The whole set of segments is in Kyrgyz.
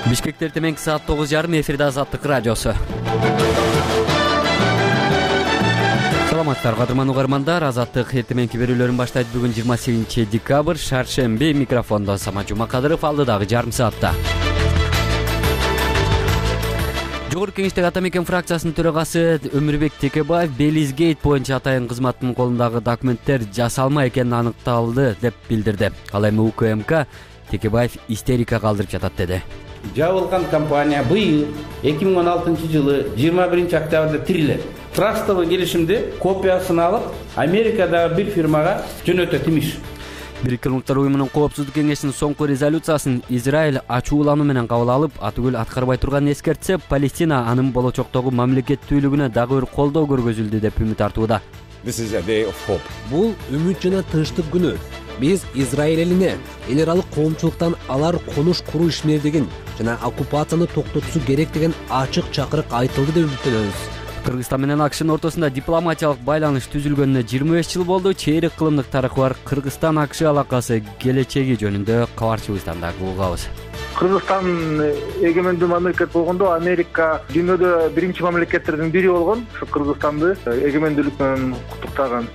Бишкекте эртең саат 9:30 эфирде Азаттык радиосу. Саламатсыздар кадырман угармандар, Азаттык эртеңки берүүлөрүн баштайт. Бүгүн 28 декабрь, шаршемби. Микрофондо Самат Жумакадыров, алдыдагы жарым саатта. Жогорку Кеңештеги Ата Мекен фракциясынын төрагасы Өмүрбек Текебаев Белизгейт боюнча атайын кызматтын колундагы документтер жасалма экени аныкталды деп билдирди. Ал эми УКМК Текебаев истерика калтырып жатат деди. Жабылган компания быйыл 2016 жылы 21 октябрда тирилет. Трастовый келишимди копиясын алып, Америкадагы бир фирмага жөнөтөт имиш. Бириккен Улуттар уюмунун Коопсуздук кеңешинин соңку резолюциясын Израиль ачуулануу менен кабыл алып, атүгүл аткарбай турганын эскертсе, Палестина анын болочоктогу мамлекеттүүлүгүнө дагы бир колдоо көргөзүлдү деп үмүт артууда. Бул үмүт жана тынчтык күнү. Биз Израиль элине эл аралык коомчулуктан алар конуш куруу ишмердигин жана оккупацияны токтотуусу керек деген ачык чакырык айтылды деп үмүттөнөбүз. Кыргызстан менен АКШнын ортосунда дипломатиялык байланыш түзүлгөнүнө 25 жыл болду. Чейрек кылымдык тарыхы бар Кыргызстан-АКШ алакасы келечеги жөнүндө кабарчыбыздан дагы угабыз. Кыргызстан эгемендүү мамлекет болгондо Америка дүйнөдө биринчи мамлекеттердин бири болгон. Ушу Кыргызстанды эгемендүүлүк менен куттуктаган.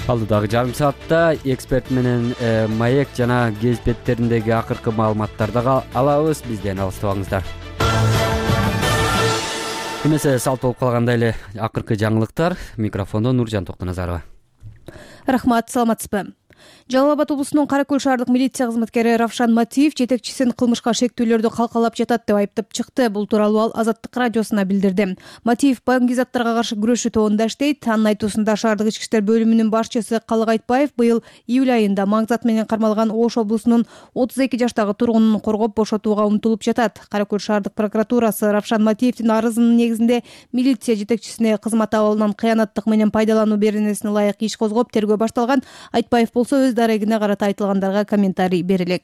Алдыдагы жарым саатта эксперт менен маек жана гезит беттериндеги акыркы маалыматтарды алабыз. Бизден алыстабаңыздар. Эмесе салт болуп калгандай эле акыркы жаңылыктар. Микрофондо Нуржан Токтоназарова. Рахмат, саламатсызбы? Жалал Абад облусунун Кара Көл шаардык милиция кызматкери Равшан Матиев жетекчисин кылмышка шектүүлөрдү калкалап жатат деп айыптап чыкты. Бул тууралуу ал Азаттык радиосуна билдирди. Матиев баңгизаттарга каршы күрөшүү тобунда иштейт. Анын айтуусунда шаардык ички иштер бөлүмүнүн башчысы Калык Айтбаев быйыл июль айында маңзат менен кармалган Ош облусунун 32 жаштагы тургунун коргоп бошотууга умтулуп жатат. Кара Көл шаардык прокуратурасы Равшан Матиевдин арызынын негизинде милиция жетекчисине кызмат абалынан кыянаттык менен пайдалануу беренесине ылайык иш козгоп тергөө башталган. Айтбаев болсо өз дарегине карата айтылгандарга комментарий бере элек.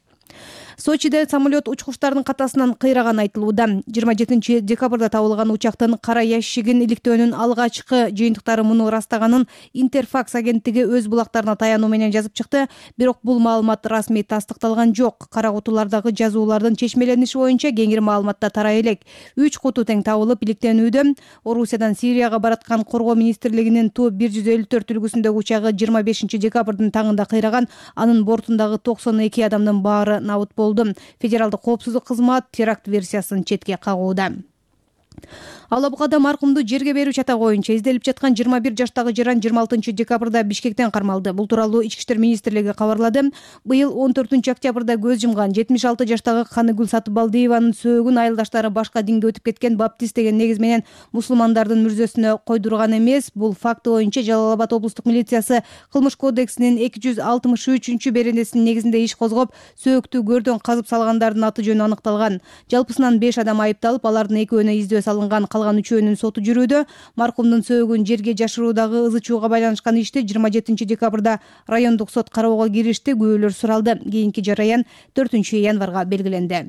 Сочиде самолет учкучтардын катасынан кыйраганы айтылууда. 27 декабрда табылган учактын кара ящигин иликтөөнүн алгачкы жыйынтыктары муну ырастаганын Интерфакс агенттиги өз булактарына таянуу менен жазып чыкты. Бирок бул маалымат расмий тастыкталган жок. Кара кутулардагы жазуулардын чечмелениши боюнча кеңири маалыматта тарай элек. 3 куту тең табылып иликтенүүдө. Орусиядан Сирияга бараткан коргоо министрлигинин Ту-154 үлгүсүндөгү учагы 25 декабрдын таңында кыйраган. Анын бортундагы 92 адамдын баары набыт болду. Федералдык коопсуздук кызмат теракт версиясын четке кагууда. Алла Букада маркумду жерге берүү чатагы боюнча изделип жаткан 21 жаштагы жаран 26 декабрда Бишкектен кармалды. Бул тууралуу Ички иштер министрлиги кабарлады. Быйыл 14 октябрда көз жумган 76 жаштагы Каныгүл Сатыбалдиеванын сөөгүн айылдаштары башка динге өтүп кеткен баптист деген негиз менен мусулмандардын мүрзөсүнө койдурган эмес. Бул факты боюнча Жалал Абад облустук милициясы Кылмыш кодексинин 263 беренесинин негизинде иш козгоп, сөөктү көрдөн казып салгандардын аты жөнү аныкталган. Жалпысынан 5 адам айыпталып, алардын экөөнө издөө салынган, калган үчөөнүн соту жүрүүдө. Маркумдун сөөгүн жерге жашыруудагы ызы чууга байланышкан ишти 27 декабрда райондук сот кароого киришти. Күбөлөр суралды. Кийинки жараян 4 январга белгиленди.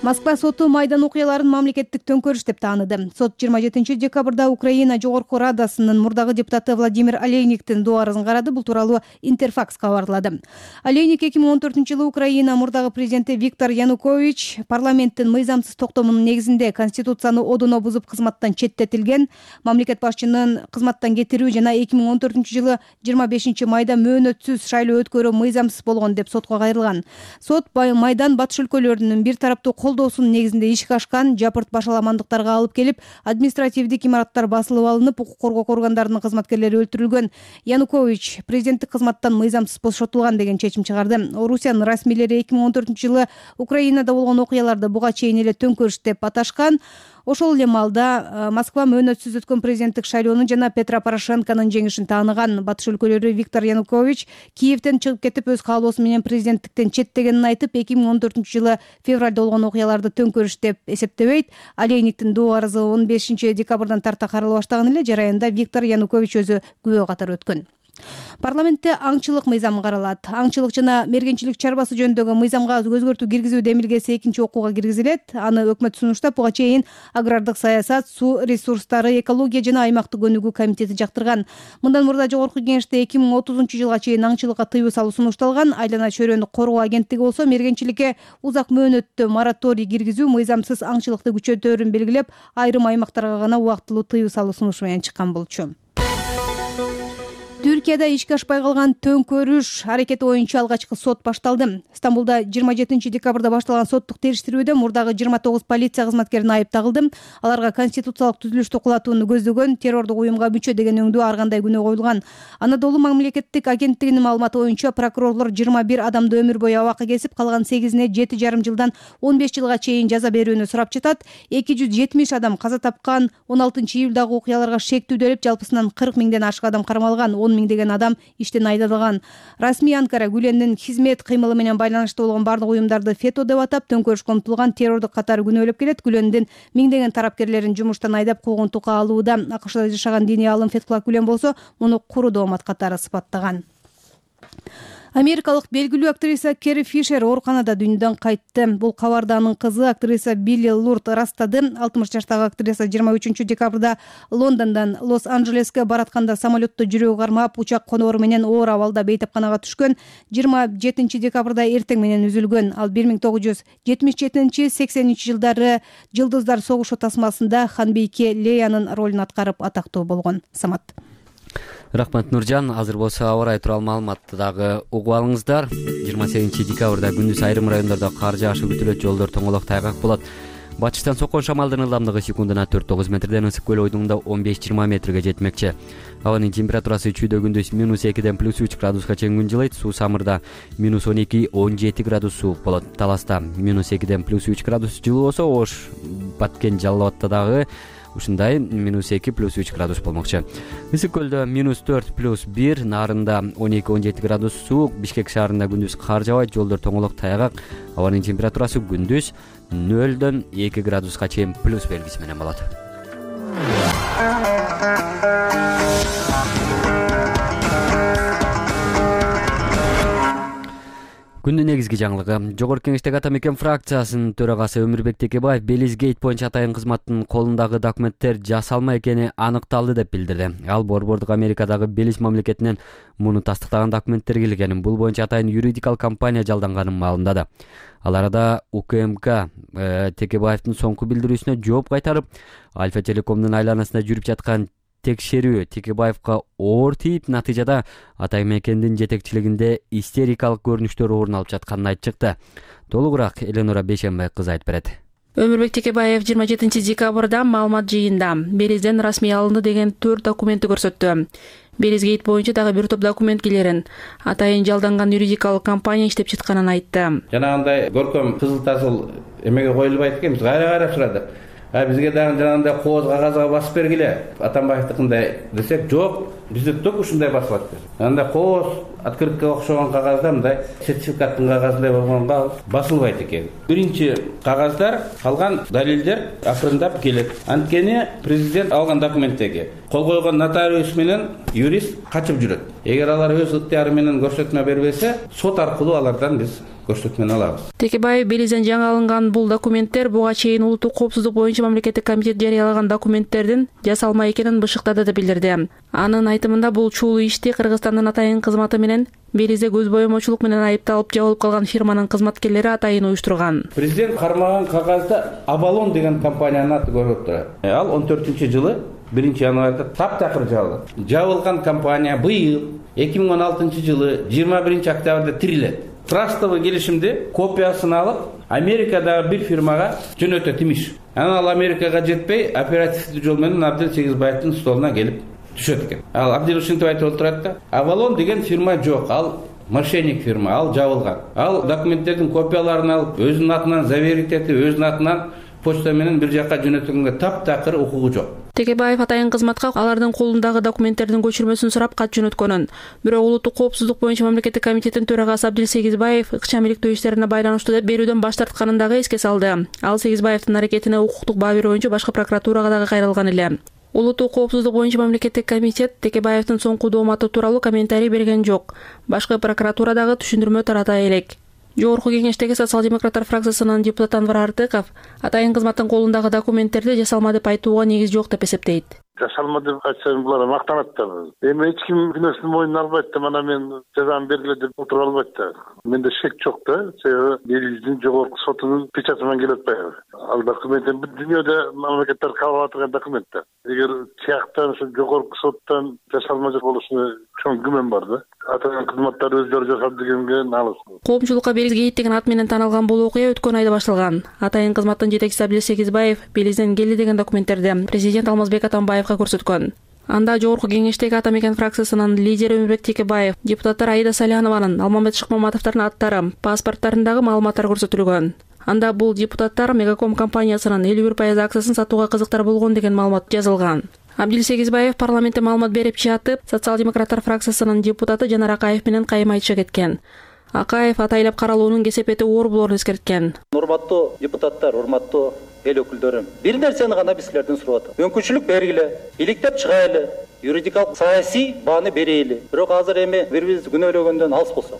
Москва соту Майдан окуяларын мамлекеттик төңкөрүш деп тааныды. Сот 27 декабрда Украина Жогорку Радасынын мурдагы депутаты Владимир Олейниктин доо арызын карады. Бул тууралуу Интерфакс кабарлады. Олейник 2014 жылы Украина мурдагы президенти Виктор Янукович парламенттин мыйзамсыз токтомунун негизинде конституцияны одоно бузуп кызматтан четтетилген. Мамлекет башчынын кызматтан кетирүү жана 2014 жылы 25 майда мөөнөтсүз шайлоо өткөрүү мыйзамсыз болгон деп сотко кайрылган. Сот Майдан батыш өлкөлөрүнүн бир тараптуу колдоосунун негизинде ишке ашкан, жапырт башаламандыктарга алып келип, административдик имараттар басылып алынып, укук коргоо органдарынын кызматкерлери өлтүрүлгөн. Янукович президенттик кызматтан мыйзамсыз бошотулган деген чечим чыгарды. Орусиянын расмийлери 2014 жылы Украинада болгон окуяларды буга чейин эле төңкөрүш деп аташкан. Ошол эле маалда Москва мөөнөтсүз өткөн президенттик шайлоону жана Петро Порошенконун жеңишин тааныган. Батыш өлкөлөрү Виктор Янукович Киевден чыгып кетип, өз каалоосу менен президенттиктен четтегенин айтып, 2014 жылы февралда болгон окуяларды төңкөрүш деп эсептебейт. Олейниктин доо арызы 15 декабрдан тарта карала баштаган эле. Жараянда Виктор Янукович өзү күбө катары өткөн. Парламентте аңчылык мыйзамы каралат. Аңчылык жана мергенчилик чарбасы жөнүндөгү мыйзамга өзгөртүү киргизүү демилгеси экинчи окууга киргизилет. Аны өкмөт сунуштап, буга чейин агрардык саясат, суу ресурстары, экология жана аймактык өнүгүү комитети жактырган. Мындан мурда жогорку кеңеште 2030-жылга чейин аңчылыкка тыюу салуу сунушталган. Айлана чөйрөнү коргоо агенттиги болсо мергенчиликке узак мөөнөттүү мораторий киргизүү, мыйзамсыз аңчылыкты күчөтөөрүн белгилеп, айрым аймактарга гана убактылуу тыюу салуу сунушу менен чыккан болчу. Түркияда ишке ашпай калган төңкөрүш аракети боюнча алгачкы сот башталды. Стамбулда 27 декабрда башталган соттук териштирүүдө мурдагы 29 полиция кызматкерин айып тагылды. Аларга конституциялык түзүлүштү кулатууну көздөгөн террордук уюмга мүчө деген өңдүү ар кандай күнөө коюлган. Анадолу мамлекеттик агенттигинин маалыматы боюнча прокурорлор 21 адамды өмүр бою абакка кесип, калган 8-ине 7,5 жылдан 15 жылга чейин жаза берүүнү сурап жатат. 270 адам каза тапкан. 16-июлдагы окуяларга шектүүдө жалпысынан 40 миңден ашык адам кармалган. 10 миңдеген адам иштен айдалган. Расмий Анкара Гүлендин хизмет кыймылы менен байланыштуу болгон бардык уюмдарды фето деп атап, төңкөрүшкө умтулган террордук катары күнөөлөп келет. Гүлендин миңдеген тарапкерлерин жумуштан айдап куугунтукка алууда. АКШда жашаган диний аалым Фетхулла Гүлен болсо муну куру доомат катары сыпаттаган. Америкалык белгилүү актриса Керри Фишер ооруканада дүйнөдөн кайтты. Бул кабарды анын кызы актриса Билли Лурд ырастады. 60 жаштагы актриса 23 декабрда Лондондон Лос-Анджелеске баратканда самолетто жүрөгү кармап, учак коноору менен оор абалда бейтапканага түшкөн. 27 декабрда эртең менен үзүлгөн. Ал 1977-80 жылдары Жылдыздар согушу тасмасында ханбийке Леянын ролун аткарып атактуу болгон. Самат. Рахмат Нуржан. Азыр болсо аба ырайы тууралуу маалыматты дагы угуп алыңыздар. 28 декабрда күндүз айрым райондордо кар жаашы күтүлөт, жолдор тоңолок тайгак болот. Батыштан соккон шамалдын ылдамдыгы секундуна 4-9 метрден, ысык көл ойдуңунда 15-20 метрге жетмекчи. Абанын температурасы чүйдө күндүз -2-ден +3 градуска чейин күн жылыйт. Суу самырда -12-17 градус суук болот. Таласта -2-ден +3 градус жылуу болсо, Ош, Баткен, Жалал Абадта дагы ушундай -2 + 3 градус болмокчу. Ысык көлдө -4 + 1, Нарында 12-17 градус суук, Бишкек шаарында күндүз кар жаабайт, жолдор тоңолок тайгак. Абанын температурасы күндүз 0-ден 2 градуска чейин плюс белгиси менен болот. Күндүн негизги жаңылыгы. Жогорку кеңештеги ата мекен фракциясынын төрагасы Өмүрбек Текебаев Белизгейт боюнча атайын кызматтын колундагы документтер жасалма экени аныкталды деп билдирди. Ал Борбордук Америкадагы Белиз мамлекетинен муну тастыктаган документтер келгенин, бул боюнча атайын юридикалык компания жалданганын маалымдады. Ал арада УКМК Текебаевдин соңку билдирүүсүнө жооп кайтарып, Альфа Телекомдун айланасында жүрүп жаткан текшерүү Текебаевка оор тийип, натыйжада ата мекендин жетекчилигинде истерикалык көрүнүштөр орун алып жатканын айтып чыкты. Толугураак Эленора Бейшенбай кызы айтып берет. Өмүрбек Текебаев 27 декабрда маалымат жыйында Белизден расмий алынды деген 4 документти көрсөттү. Белизгейт боюнча дагы бир топ документ келерин, атайын жалданган юридикалык компания иштеп жатканын айтты. Жанагындай көркөм кызыл тазыл эмеге коюлбайт экен, биз кайра сурадык. Бизге дагы жанагындай кооз кагазга басып бергиле, Атамбаевдикындай десек, жок, бизде только ушундай басылат. Анда кооз открыткага окшогон кагазда мындай сертификаттын кагазындай болгонго басылбайт экен. Биринчи кагаздар, калган далилдер акырындап келет. Анткени президент алган документтеги кол койгон нотариус менен юрист качып жүрөт. Эгер алар өз ыктыяры менен көрсөтмө бербесе, сот аркылуу алардан биз көрсөтмөнү алабыз. Текебаев Белизден жаңы алынган бул документтер буга чейин улуттук коопсуздук боюнча мамлекеттик комитет жарыялаган документтердин жасалма экенин бышыктады деп билдирди. Анын айтымында бул чуулуу ишти Кыргызстандын атайын кызматы менен Белизде көз боемочулук менен айыпталып жабылып калган фирманын кызматкерлери атайын уюштурган. Президент кармаган кагазда Абалон деген компаниянын аты көрүнүп турат. Ал 14-жылы 1-январда таптакыр жабылат. Жабылган компания быйыл 2016-жылы 21-октябрда тирилет. Трастовый келишимди копиясын алып, Америкадагы бир фирмага жөнөтөт имиш. Ал Америкага жетпей, оперативдүү жол менен Абдил Сегизбаевдин столуна келип түшөт экен. Ал Абдил ушинтип айтып отурат да, Авалон деген фирма жок, ал мошенник фирма, ал жабылган. Ал документтердин копияларын алып, өзүнүн атынан заверить этип, өзүнүн атынан почта менен бир жакка жөнөтүлгөнгө таптакыр укугу жок. Текебаев атайын кызматка алардын колундагы документтердин көчүрмөсүн сурап кат жөнөткөнүн, бирок улуттук коопсуздук боюнча мамлекеттик комитеттин төрагасы Абдил Сегизбаев ыкчам иликтөө иштерине байланыштуу деп берүүдөн баш тартканын дагы эске салды. Ал Сегизбаевдин аракетине укуктук баа берүү боюнча башкы прокуратурага дагы кайрылган эле. Улуттук коопсуздук боюнча мамлекеттик комитет Текебаевдин соңку дооматы тууралуу комментарий берген жок. Башкы прокуратура дагы түшүндүрмө тарата элек. Жогорку кеңештеги социал-демократтар фракциясынын депутаты Анвар Артыков атайын кызматтын колундагы документтерди жасалма деп айтууга негиз жок деп эсептейт. Жасалма деп айтсам булар мактанат да. Эми эч ким күнөөсүн мойнуна албайт да, мана мен жазаны бергиле деп отуруп албайт да. Менде шек жок да. Себеби биздин жогорку сотунун печаты менен келип атпайбы. Ал документ бүт дүйнөдө мамлекеттер кабыл алып турган документ да. Эгер тияктан ушу жогорку соттон жасалма болушуна чоң күмөн бар да. Атайын кызматтар өздөрү жасап дегенге налыс. Коомчулукка Белизгейт деген ат менен таанылган бул окуя өткөн айда башталган. Атайын кызматтын жетекчиси Абдил Сегизбаев Белизден келди деген документтерди президент Алмазбек Атамбаевга көрсөткөн. Анда жогорку кеңештеги Ата Мекен фракциясынын лидери Өмүрбек Текебаев, депутаттар Аида Салянованын, Алмамбет Шыкмаматовдордун аттары, паспорттарындагы маалыматтар көрсөтүлгөн. Анда бул депутаттар Мегаком компаниясынын 51% акциясын сатууга кызыктар болгон деген маалымат жазылган. Абдил Сегизбаев парламентте маалымат берип чатып, социал-демократтар фракциясынын депутаты Жанар Акаев менен кайым айтыша кеткен. Акаев атайлап каралуунун кесепети оор болоорун эскерткен. Урматтуу депутаттар, урматтуу эл өкүлдөрүм, бир нерсени гана биз силерден сурап атам. Мүмкүнчүлүк бергиле, иликтеп чыгайлы, юридикалык саясий бааны берейли. Бирок азыр эми бири-бирибизди күнөөлөгөндөн алыс болсок.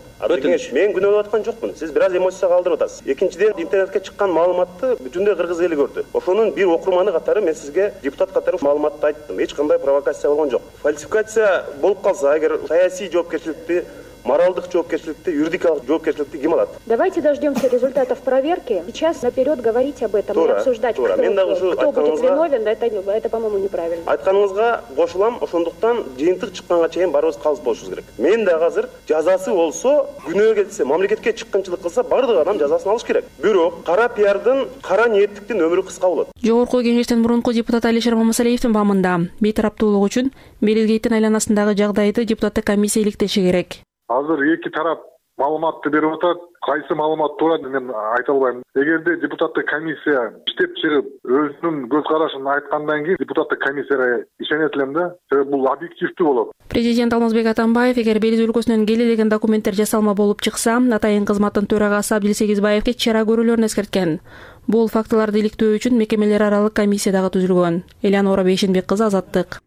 Мен күнөөлөп аткан жокмун. Сиз бир аз эмоцияга калтырып атасыз. Экинчиден, интернетке чыккан маалыматты бүтүндөй кыргыз эли көрдү. Ошонун бир окурманы катары мен сизге депутат катары маалыматты айттым. Эч кандай провокация болгон жок. Фальсификация болуп калса, эгер саясий жоопкерчиликти, моралдык жоопкерчиликти, юридикалык жоопкерчиликти ким алат? Давайте дождемся результатов проверки. Сейчас наперед говорить об этом и обсуждать, кто будет виновен, это, по-моему, неправильно. Айтканыңызга кошулам, ошондуктан жыйынтык чыкканга чейин барыбыз калыс болушубуз керек. Мен дагы азыр жазасы болсо, күнөө келсе, мамлекетке чыккынчылык кылса, бардык адам жазасын алыш керек. Бирок кара пиардын, кара ниеттиктин өмүрү кыска болот. Жогорку кеңештен мурунку депутат Алишер Мамасалиевдин бамында бейтараптуулук үчүн Белизгейттин айланасындагы жагдайды депутаттык комиссия иликтеши керек. Азыр эки тарап маалыматты берип атат. Кайсы маалымат туура мен айта албайм. Эгерде депутаттык комиссия иштеп чыгып, өзүнүн көз карашын айткандан кийин депутаттык комиссияга ишенет элем да. Себеби бул объективдүү болот. Президент Алмазбек Атамбаев эгер Белиз өлкөсүнөн келе деген документтер жасалма болуп чыкса, атайын кызматтын төрагасы Абдил Сегизбаевге чара көрүүлөрүн эскерткен. Бул фактыларды иликтөө үчүн мекемелер аралык комиссия дагы түзүлгөн. Элянора Бейшенбек кызы, Азаттык.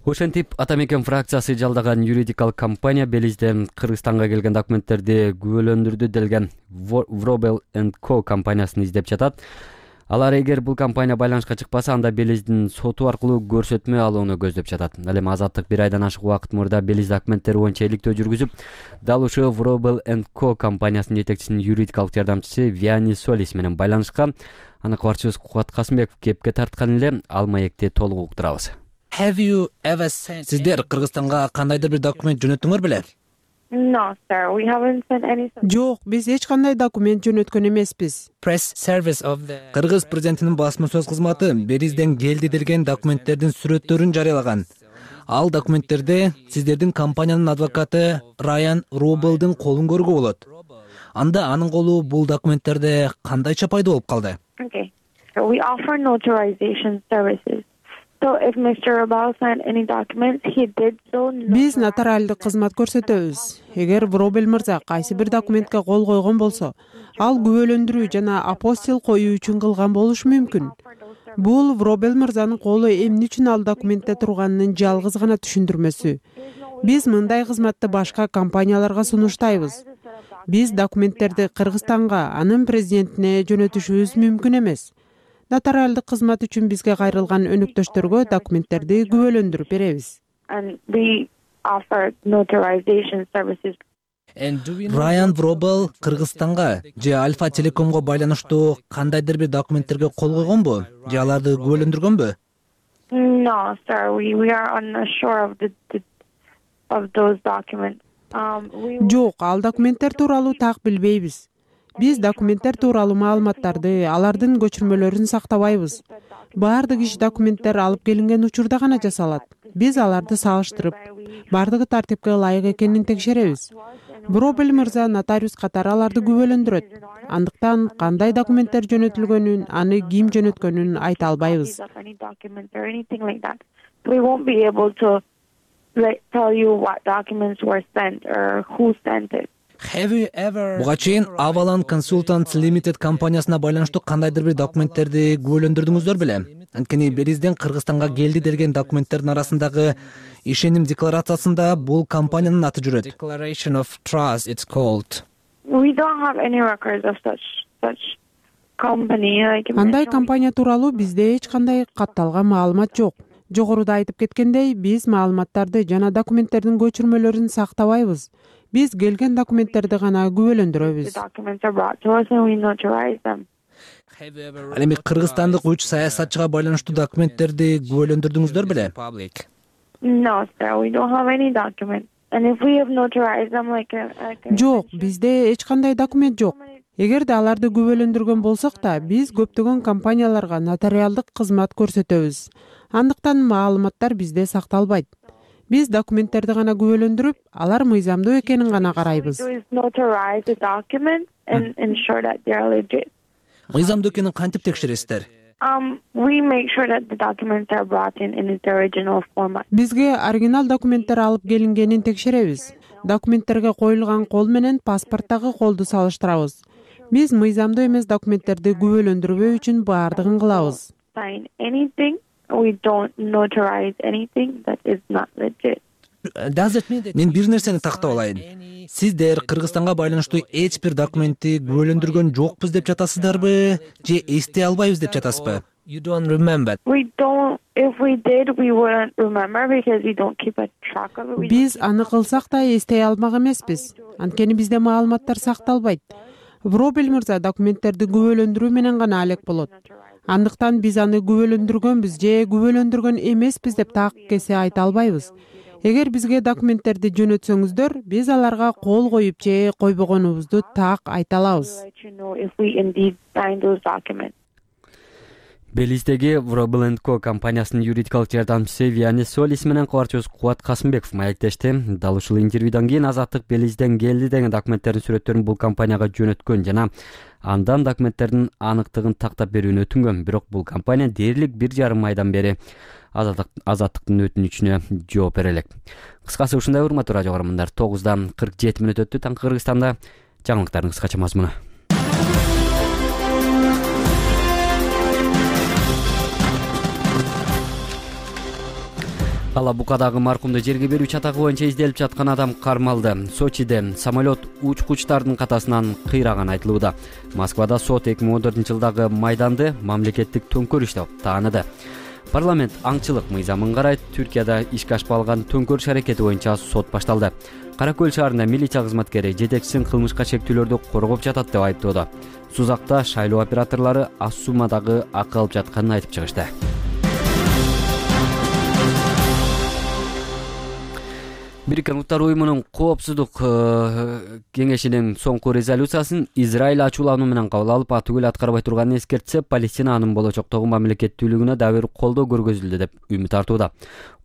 Ошентип Ата Мекен фракциясы жалдаган юридикалык компания Белизден Кыргызстанга келген документтерди күбөлөндүрдү делген Wrobel & Co компаниясын издеп жатат. Алар эгер бул компания байланышка чыкпаса, анда Белиздин соту аркылуу көрсөтмө алууну көздөп жатат. Ал эми Азаттык бир айдан ашык убакыт мурда Белиз документтери боюнча иликтөө жүргүзүп, дал ушул Wrobel & Co компаниясынын жетекчисинин юридикалык жардамчысы Виани Солис менен байланышка аны кабарчыбыз Кубат Касымбеков кепке тарткан эле, ал маекти толук уктурабыз. Сиздер Кыргызстанга кандайдыр бир документ жөнөттүңөр беле? Жок, биз эч кандай документ жөнөткөн эмеспиз. Кыргыз президентинин басма сөз кызматы Белизден келди делген документтердин сүрөттөрүн жарыялаган. Ал документтерде сиздердин компаниянын адвокаты Райан Робелдин колун көрүүгө болот. Анда анын колу бул документтерде кандайча пайда болуп калды? We offer notarization services. Биз нотариалдык кызмат көрсөтөбүз. Эгер Wrobel мырза кайсы бир документке кол койгон болсо, ал күбөлөндүрүү жана апостил коюу үчүн кылган болушу мүмкүн. Бул Wrobel мырзанын колу эмне үчүн ал документте турганынын жалгыз гана түшүндүрмөсү. Биз мындай кызматты башка компанияларга сунуштайбыз. Биз документтерди Кыргызстанга, анын президентине жөнөтүшүбүз мүмкүн эмес. Нотариалдык кызмат үчүн бизге кайрылган өнөктөштөргө документтерди күбөлөндүрүп беребиз. Райан Wrobel Кыргызстанга же Альфа Телекомго байланыштуу кандайдыр бир документтерге кол койгонбу? Же аларды күбөлөндүргөнбү? Жок, ал документтер тууралуу так билбейбиз. Биз документтер тууралуу маалыматтарды, алардын көчүрмөлөрүн сактабайбыз. Баардык иш документтер алып келинген учурда гана жасалат. Биз аларды салыштырып, баардыгы тартипке ылайык экенин текшеребиз. Wrobel мырза нотариус катары аларды күбөлөндүрөт. Андыктан кандай документтер жөнөтүлгөнүн, аны ким жөнөткөнүн айта албайбыз. Буга чейин Avalon Consultants Limited компаниясына байланыштуу кандайдыр бир документтерди күбөлөндүрдүңүздөр беле? Анткени Белизден Кыргызстанга келди делген документтердин арасындагы ишеним декларациясында бул компаниянын аты жүрөт. Declaration of Trust it's called. We don't have any records of such company. Андай компания тууралуу бизде эч кандай катталган маалымат жок. Жогоруда айтып кеткендей, биз маалыматтарды жана документтердин көчүрмөлөрүн сактабайбыз. Биз келген документтерди гана күбөлөндүрөбүз. Ал эми кыргызстандык 3 саясатчыга байланыштуу документтерди күбөлөндүрдүңүздөр беле? No, sir, we don't have any document. And if we have notarized them Жок, бизде эч кандай документ жок. Эгерде аларды күбөлөндүргөн болсок да, биз көптөгөн компанияларга нотариалдык кызмат көрсөтөбүз. Андыктан маалыматтар бизде сакталбайт. Биз документтерди гана күбөлөндүрүп, алар мыйзамдуу экенин гана карайбыз. Мыйзамдуу экенин кантип текшересиздер? We make sure that the documents are brought in its original format. Бизге оригинал документтер алып келингенин текшеребиз. Документтерге коюлган кол менен паспорттагы колду салыштырабыз. Биз мыйзамдуу эмес документтерди күбөлөндүрбөө үчүн баардыгын кылабыз. Sign anything, we don't notarize anything that is not legit. Мен бир нерсени тактап алайын. Сиздер Кыргызстанга байланыштуу эч бир документти күбөлөндүргөн жокпуз деп жатасыздарбы, же эстей албайбыз деп жатасызбы? We don't. If we did, we wouldn't remember because we don't keep a track of it. Биз аны кылсак да эстей алмак эмеспиз. Анткени бизде маалыматтар сакталбайт. Вробел мырза документтерди күбөлөндүрүү менен гана алек болот. Андыктан биз аны күбөлөндүргөнбүз же күбөлөндүргөн эмеспиз деп так кесе айта албайбыз. Эгер бизге документтерди жөнөтсөңүздөр, биз аларга кол коюп же койбогонубузду так айта алабыз. Белиздеги Vrobel & Co компаниясынын юридикалык жардамчысы Вианис Солис менен кабарчыбыз Кубат Касымбеков маектешти. Дал ушул интервьюдан кийин Азаттык Белизден келди деген документтердин сүрөттөрүн бул компанияга жөнөткөн жана андан документтердин аныктыгын тактап берүүнү өтүнгөн. Бирок бул компания дээрлик 1,5 айдан бери Азаттыктын өтүнүчүнө жооп бере элек. Кыскасы ушундай урматтуу радио көрөрмандар, 9:47 өттү. Таңкы Кыргызстанда жаңылыктардын кыскача мазмуну. Ала Букадагы маркумду жерге берүү чатагы боюнча изделип жаткан адам кармалды. Сочиде самолет учкучтардын катасынан кыйраган айтылууда. Москвада сот 2014-жылдагы майданды мамлекеттик төңкөрүш деп тааныды. Парламент аңчылык мыйзамын карайт. Түркияда ишке ашпалган төңкөрүш аракети боюнча сот башталды. Кара Көл шаарында милиция кызматкери жетекчисин кылмышка шектүүлөрдү коргоп жатат деп айыптоодо. Сузакта шайлоо операторлору аз суммадагы акы алып жатканын айтып чыгышты. Бириккен Уттар уюмунун коопсуздук кеңешинин соңку резолюциясын Израиль ачуулануу менен кабыл алып, атүгүл аткарбай турганын эскертсе, Палестина анын болочоктогу мамлекеттүүлүгүнө дагы бир колдоо көргөзүлдү деп үмүт артууда.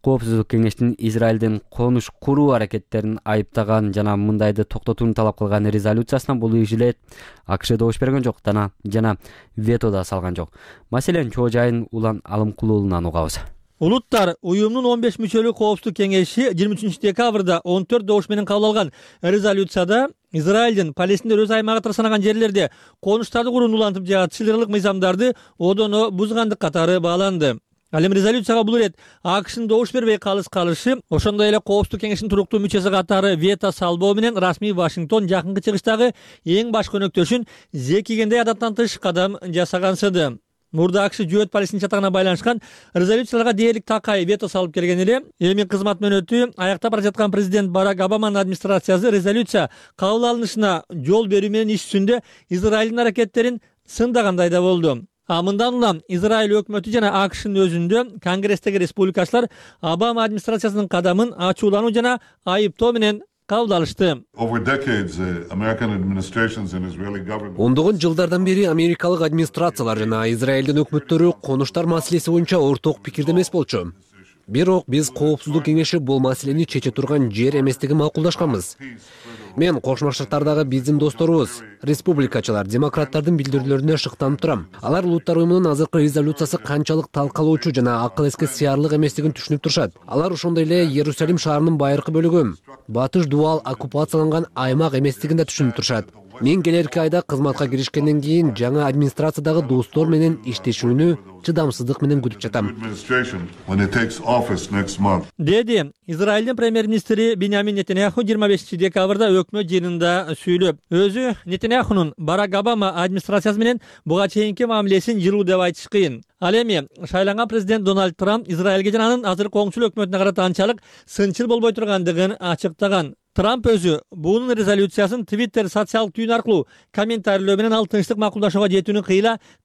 Коопсуздук кеңештин Израилдин конуш куруу аракеттерин айыптаган жана мындайды токтотууну талап кылган резолюциясына бул ишилет АКШ добуш берген жок жана вето да салган жок. Маселен, чоо жайын Улан Алымкулуулунан угабыз. Улуттар уюмунун 15 мүчөлүү коопсуздук кеңеши 23 декабрда 14 добуш менен кабыл алган резолюцияда Израилдин Палестиндер өз аймагы санаган жерлерде конуштарды курууну улантып жаат чыгарылык мыйзамдарды одоно бузгандык катары бааланды. Ал эми резолюцияга бул ирет АКШнын добуш бербей калышы, ошондой эле коопсуздук кеңешинин туруктуу мүчөсү катары вето салбоо менен расмий Вашингтон жакынкы чыгыштагы эң баш көнөктөшүн зекигендей адаттан тыш кадам жасагансыды. Мурда АКШ жөөт Палестина чатагына байланышкан резолюцияларга дээрлик такай вето салып келген эле. Эми кызмат мөөнөтү аяктап бара жаткан президент Барак Обаманын администрациясы резолюция кабыл алынышына жол берүү менен иш жүзүндө Израилдин аракеттерин сындагандай да болду. Мындан улам Израиль өкмөтү жана АКШнын өзүндө Конгресстеги республикачылар Обама администрациясынын кадамын ачуулануу жана айыптоо менен кабыл алышты. Ондогон жылдардан бери америкалык администрациялар жана Израилдин өкмөттөрү конуштар маселеси боюнча орток пикирде эмес болчу. Бирок биз коопсуздук кеңеши бул маселени чече турган жер эместигин макулдашканбыз. Мен Кошмо Штаттардагы биздин досторубуз, республикачылар, демократтардын билдирүүлөрүнө шыктанып турам. Алар улуттар уюмунун азыркы резолюциясы канчалык талкалоочу жана акыл эске сыярлык эместигин түшүнүп турушат. Алар ошондой эле Иерусалим шаарынын байыркы бөлүгү батыш дубал оккупацияланган аймак эместигин да түшүнүп турушат. Мен келерки айда кызматка киришкенден кийин жаңы администрациядагы достор менен иштешүүнү чыдамсыздык менен күтүп жатам, деди Израилдин премьер-министри Биньямин Нетаньяху 25 декабрда өкмөт жыйынында сүйлөп. Өзү Нетаньяхунун Барак Обама администрациясы менен буга чейинки мамилесин жылуу деп айтыш кыйын. Ал эми шайланган президент Дональд Трамп Израилге жана анын азыркы оңчул өкмөтүнө карата анчалык сынчыл болбой тургандыгын ачыктаган. Трамп өзү бунун резолюциясын Twitter социалдык түйүн аркылуу комментарийлөө менен ал тынчтык макулдашууга жетүүнү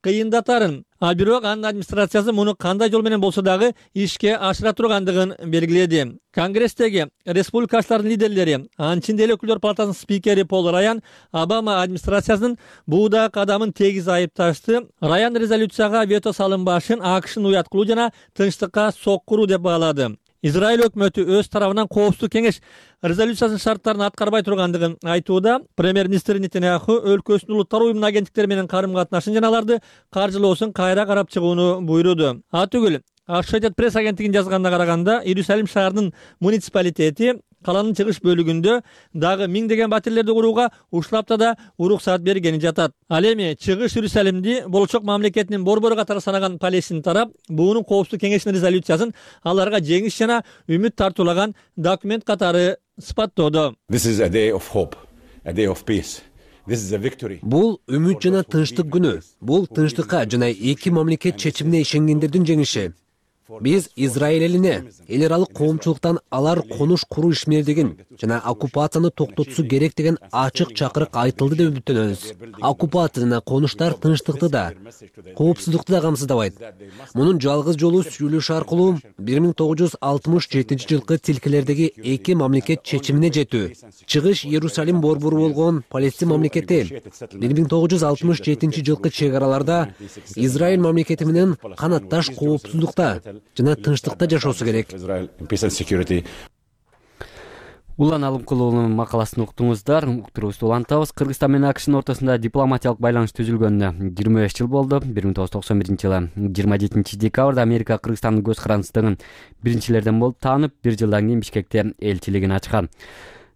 кыйындатарын, ал бирок анын администрациясы муну кандай жол менен болсо дагы ишке ашыра тургандыгын белгиледи. Конгресстеги республикачылардын лидерлери, анчинде эле өкүлдөр палатасынын спикери Пол Раян Обама администрациясынын бууда кадамын тегиз айыпташты. Раян резолюцияга вето салынбашын АКШнын уяткылуу жана тынчтыкка соккуруу деп баалады. Израиль өкмөтү өз тарабынан Коопсуздук кеңеш резолюциясынын шарттарын аткарбай тургандыгын айтууда. Премьер-министр Нетаньяху өлкөсүнүн улуттар уюмунун агенттиктери менен карым-катнашын жана аларды каржылоосун кайра карап чыгууну буйруду. Атүгүл Associated Press агенттигинин жазганына караганда, Иерусалим шаарынын муниципалитети каланын чыгыш бөлүгүндө дагы миңдеген батирлерди курууга уштапта да уруксат бергени жатат. Ал эми чыгыш Иерусалимди болочок мамлекетинин борбору катары санаган Палестин тарап буунун Коопсуздук кеңешинин резолюциясын аларга жеңиш жана үмүт тартуулаган документ катары сыпаттоодо. Бул үмүт жана тынчтык күнү. Бул тынчтыкка жана эки мамлекет чечимине ишенгендердин жеңиши. Биз Израиль элине эл аралык коомчулуктан алар конуш куруу ишмердигин жана оккупацияны токтотуусу керек деген ачык чакырык айтылды деп үмүттөнөбүз. Оккупация жана конуштар тынчтыкты да, коопсуздукту да камсыздабайт. Мунун жалгыз жолу сүйлөшүү аркылуу 1967 жылкы тилкелердеги эки мамлекет чечимине жетүү. Чыгыш Иерусалим борбору болгон Палестин мамлекети 1967 жылкы чек араларда Израиль мамлекети менен канатташ коопсуздукта жана тынчтыкта жашоосу керек. Улан Алымкулуунун макаласын уктуңуздар. Уктуруубузду улантабыз. Кыргызстан менен АКШнын ортосунда дипломатиялык байланыш түзүлгөнүнө 25 жыл болду. 1991-жылы 27 декабрда Америка Кыргызстандын көз карандысыздыгын биринчилерден болуп таанып, 1 жылдан кийин Бишкекте элчилигин ачкан.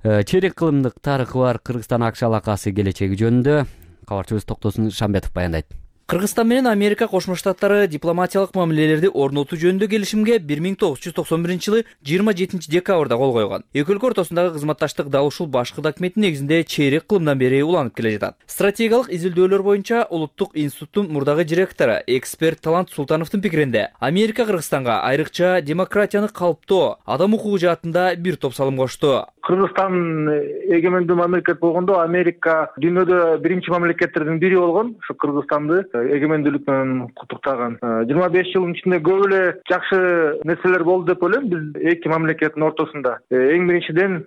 Чейрек кылымдык тарыхы бар Кыргызстан-АКШ алакасы келечеги жөнүндө кабарчыбыз Токтосун Шамбетов баяндайт. Кыргызстан менен Америка Кошмо Штаттары дипломатиялык мамилелерди орнотуу жөнүндө келишимге 1991-жылы 27 декабрда кол койгон. Эки өлкө ортосундагы кызматташтык дал ушул башкы документтин негизинде чейрек кылымдан бери уланып келе жатат. Стратегиялык изилдөөлөр боюнча Улуттук институттун мурдагы директору эксперт Талант Султановдун пикиринде, Америка Кыргызстанга айрыкча демократияны калыптоо, адам укугу жаатында бир топ салым кошту. Кыргызстан эгемендүү мамлекет болгондо Америка дүйнөдө биринчи мамлекеттердин бири болгон. Ушу Кыргызстанды эгемендүүлүк менен куттуктаган. 25 жылдын ичинде көп эле жакшы нерселер болду деп ойлойм биз эки мамлекеттин ортосунда. Эң биринчиден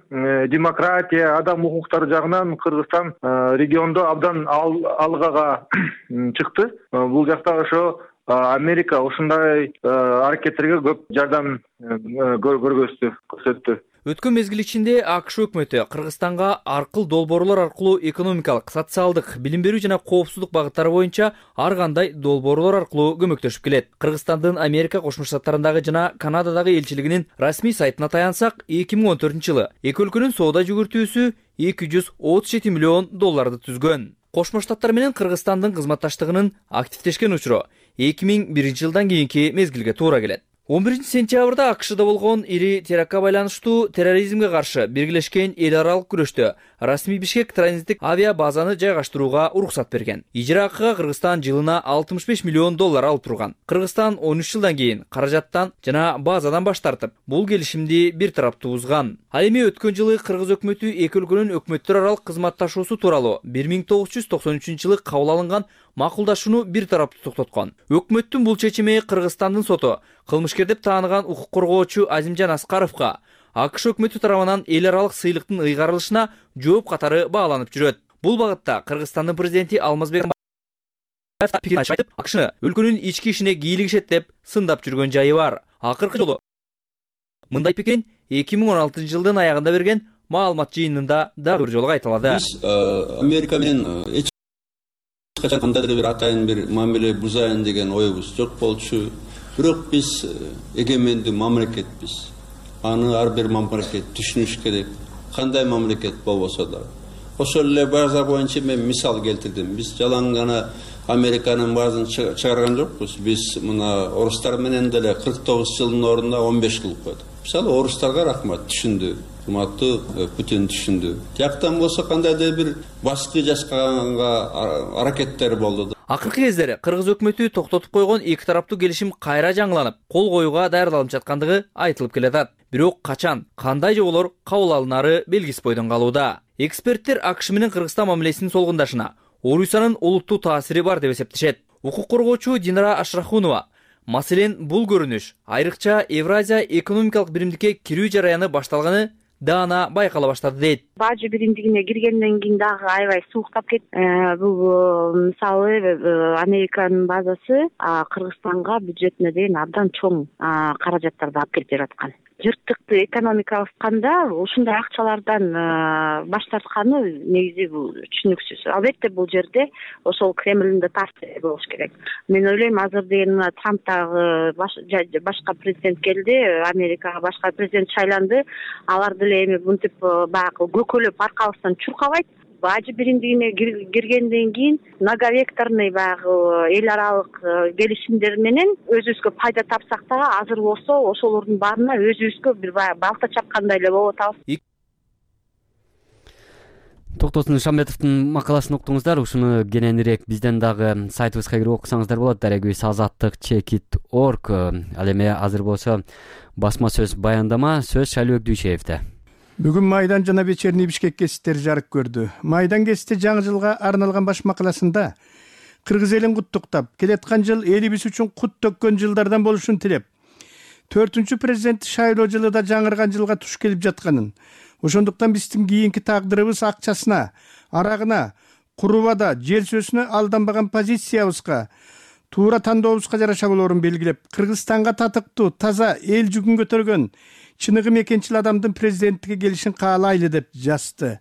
демократия, адам укуктары жагынан Кыргызстан региондо абдан алгага чыкты. Бул жакта ошо Америка ушундай аракеттерге көп жардам көрсөттү. Өткөн мезгил ичинде АКШ өкмөтү Кыргызстанга аркыл долбоорлор аркылуу экономикалык, социалдык, билим берүү жана коопсуздук багыттары боюнча ар кандай долбоорлор аркылуу көмөктөшүп келет. Кыргызстандын Америка Кошмо Штаттарындагы жана Канададагы элчилигинин расмий сайтына таянсак, 2014-жылы эки өлкөнүн соода жүгүртүүсү $237 миллион түзгөн. Кошмо Штаттар менен Кыргызстандын кызматташтыгынын активдешкен учуру 2001-жылдан кийинки мезгилге туура келет. 11-сентябрда АКШда болгон ири терактка байланыштуу терроризмге каршы биргелешкен эл аралык күрөштө расмий Бишкек транзиттик авиа базаны жайгаштырууга уруксат берген. Ижара акыга Кыргызстан жылына $65 миллион алып турган. Кыргызстан 13 жылдан кийин каражаттан жана базадан баш тартып, бул келишимди бир тараптуу бузган. Ал эми өткөн жылы Кыргыз өкмөтү эки өлкөнүн өкмөттөр аралык кызматташуусу тууралуу 1993-жылы кабыл алынган макулдашууну бир тараптуу токтоткон. Өкмөттүн бул чечими Кыргызстандын соту кылмышкер деп тааныган укук коргоочу Азимжан Аскаровго АКШ өкмөтү тарабынан эл аралык сыйлыктын ыйгарылышына жооп катары бааланып жүрөт. Бул багытта Кыргызстандын президенти Алмазбек пикирин айтып, АКШны өлкөнүн ички ишине кийлигишет деп сындап жүргөн жайы бар. Акыркы жолу мындай пикирин 2016-жылдын аягында берген маалымат жыйынында дагы бир жолу кайталады. Биз Америка менен эч кандайдыр бир атайын бир мамиле бузайын деген оюбуз жок болчу. Бирок биз эгемендүү мамлекетпиз. Аны ар бир мамлекет түшүнүш керек. кандай мамлекет болбосо да. Ошол эле база боюнча мен мисал келтирдим. Биз жалаң гана Американын баазын чыгарган жокпуз. Биз мына орустар менен деле 49 жылдын ордуна 15 кылып койдук. Мисалы орустарга рахмат, түшүндү. Урматтуу Путин түшүндү. Тияктан болсо кандайдыр бир башкы жасаганга аракеттер болду. Акыркы кездери кыргыз өкмөтү токтотуп койгон эки тараптуу келишим кайра жаңыланып, кол коюуга даярдалып жаткандыгы айтылып келатат. Бирок качан, кандай жоболор кабыл алынары белгисиз бойдон калууда. Эксперттер АКШ менен Кыргызстан мамилесинин солгундашына Орусиянын олуттуу таасири бар деп эсептешет. Укук коргоочу Динара Ашрахунова маселен бул көрүнүш айрыкча Евразия экономикалык биримдикке кирүү жараяны башталганы даана байкала баштады дейт. Бажы биримдигине киргенден кийин дагы аябай сууктап кетти. Бул мисалы Американын базасы Кыргызстанга бюджетине деген абдан чоң каражаттарды алып келип жаткан. Жыртыкты экономика атканда ушундай акчалардан баш тартканы негизи бул түшүнүксүз. Албетте бул жерде ошол Кремльдин да таасири болуш керек. Мен ойлойм азыр деген Трамптагы башка президент келди, Америкага башка президент шайланды. Алар деле эми мынтип баягы көкөлөп аркабыздан чуркабайт. Бажы биримдигине киргенден кийин многовекторный баягы эл аралык келишимдер менен өзүбүзгө пайда тапсак да азыр болсо ошолордун баарына өзүбүзгө бир балта чапкандай эле болуп атабыз. Токтосун Шамбетовдун макаласын уктуңуздар. Ушуну кененирээк бизден дагы сайтыбызга кирип окусаңыздар болот. Дарегибиз azattik.org. Ал эми азыр болсо басма сөз баяндама сөз Шайлыбек Дүйшеевде. Бүгүн Майдан жана вечерний Бишкек гезиттери жарык көрдү. Майдан гезити жаңы жылга арналган баш макаласында кыргыз элин куттуктап, келаткан жыл элибиз үчүн кут төккөн жылдардан болушун тилеп, 4-чү президент шайлоо жылы да жаңырган жылга туш келип жатканын, ошондуктан биздин кийинки тагдырыбыз акчасына, арагына, курубада, жер сөзүнө алданбаган позициябызга, туура тандообузга жараша болоорун белгилеп, Кыргызстанга татыктуу, таза, эл жүгүн көтөргөн чыныгы мекенчил адамдын президенттикке келишин каалайлы деп жазды.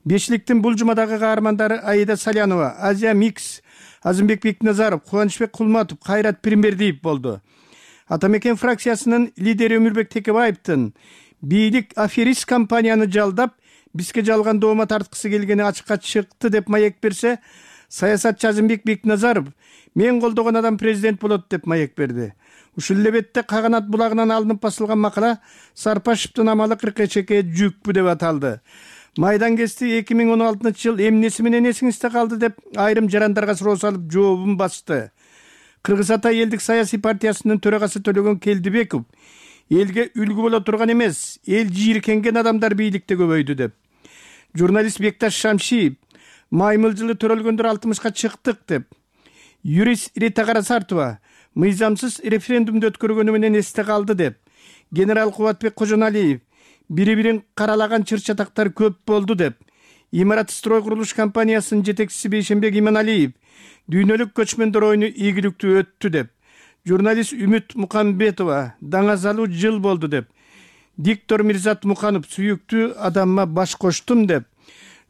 Бешликтин бул жумадагы каармандары Аида Салянова, Азия Микс, Азымбек Бекназаров, Кубанычбек Кулматов, Кайрат Пиримбердиев болду. Атамекен фракциясынын лидери Өмүрбек Текебаевдин бийлик аферист компанияны жалдап, бизге жалган доoma тарткысы келгени ачыкка чыкты деп маек берсе, саясатчы Азымбек Бекназаров мен колдогон адам президент болот деп маек берди. Ушул эле бетте Каганат булагынан алынып басылган макала Сарпашевдин амалы кыркычекке жүкпү деп аталды. Майдан гезити 2016-жыл эмнеси менен эсиңизде калды деп айрым жарандарга суроо салып жообун басты. Кыргыз Ата элдик саясий партиясынын төрагасы Төлөгөн Келдибеков элге үлгү боло турган эмес, эл жийиркенген адамдар бийликте көбөйдү деп. Журналист Бекташ Шамшиев маймыл жылы төрөлгөндөр 60-ка чыктык деп. Юрист Рита Карасартова мыйзамсыз референдумду өткөргөнү менен эсте калды деп. Генерал Кубатбек Кожоналиев бири-бирин каралаган чыр-чатактар көп болду деп. Имарат строй курулуш компаниясынын жетекчиси Бейшенбек Иманалиев дүйнөлүк көчмөндөр оюну ийгиликтүү өттү деп. Журналист Үмүт Мукамбетова даңазалуу жыл болду деп. Диктор Мирзат Муканов сүйүктүү адамма баш коштум деп.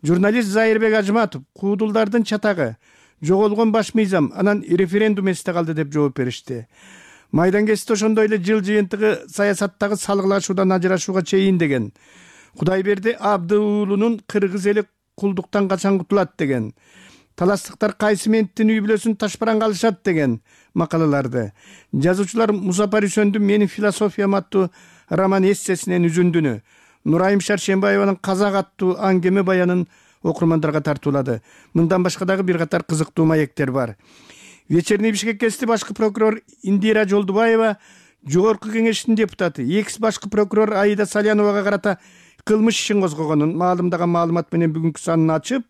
Журналист Зайырбек Ажматов куудулдардын чатагы, жоголгон баш мыйзам, анан референдум эсте калды деп жооп беришти. Майдан гезити ошондой эле жыл жыйынтыгы саясаттагы салгылашуудан ажырашууга чейин деген. Кудайберди Абдыуулунун кыргыз эли кулдуктан качан кутулат деген. Таластыктар кайсы менттин үй бүлөсүн ташпаранга алышат деген макалаларды. Жазуучулар Музапар Үсөндүн Менин философиям аттуу роман эссесинен үзүндүнү, Нурайым Шаршембаеванын Казак аттуу аңгеме баянын окурмандарга тартуулады. Мындан башка дагы бир катар кызыктуу маектер бар. Вечерний Бишкек гезити башкы прокурор Индира Жолдубаева, Жогорку кеңештин депутаты, экс башкы прокурор Аида Саляновага карата кылмыш ишин козгогонун маалымдаган маалымат менен бүгүнкү санын ачып,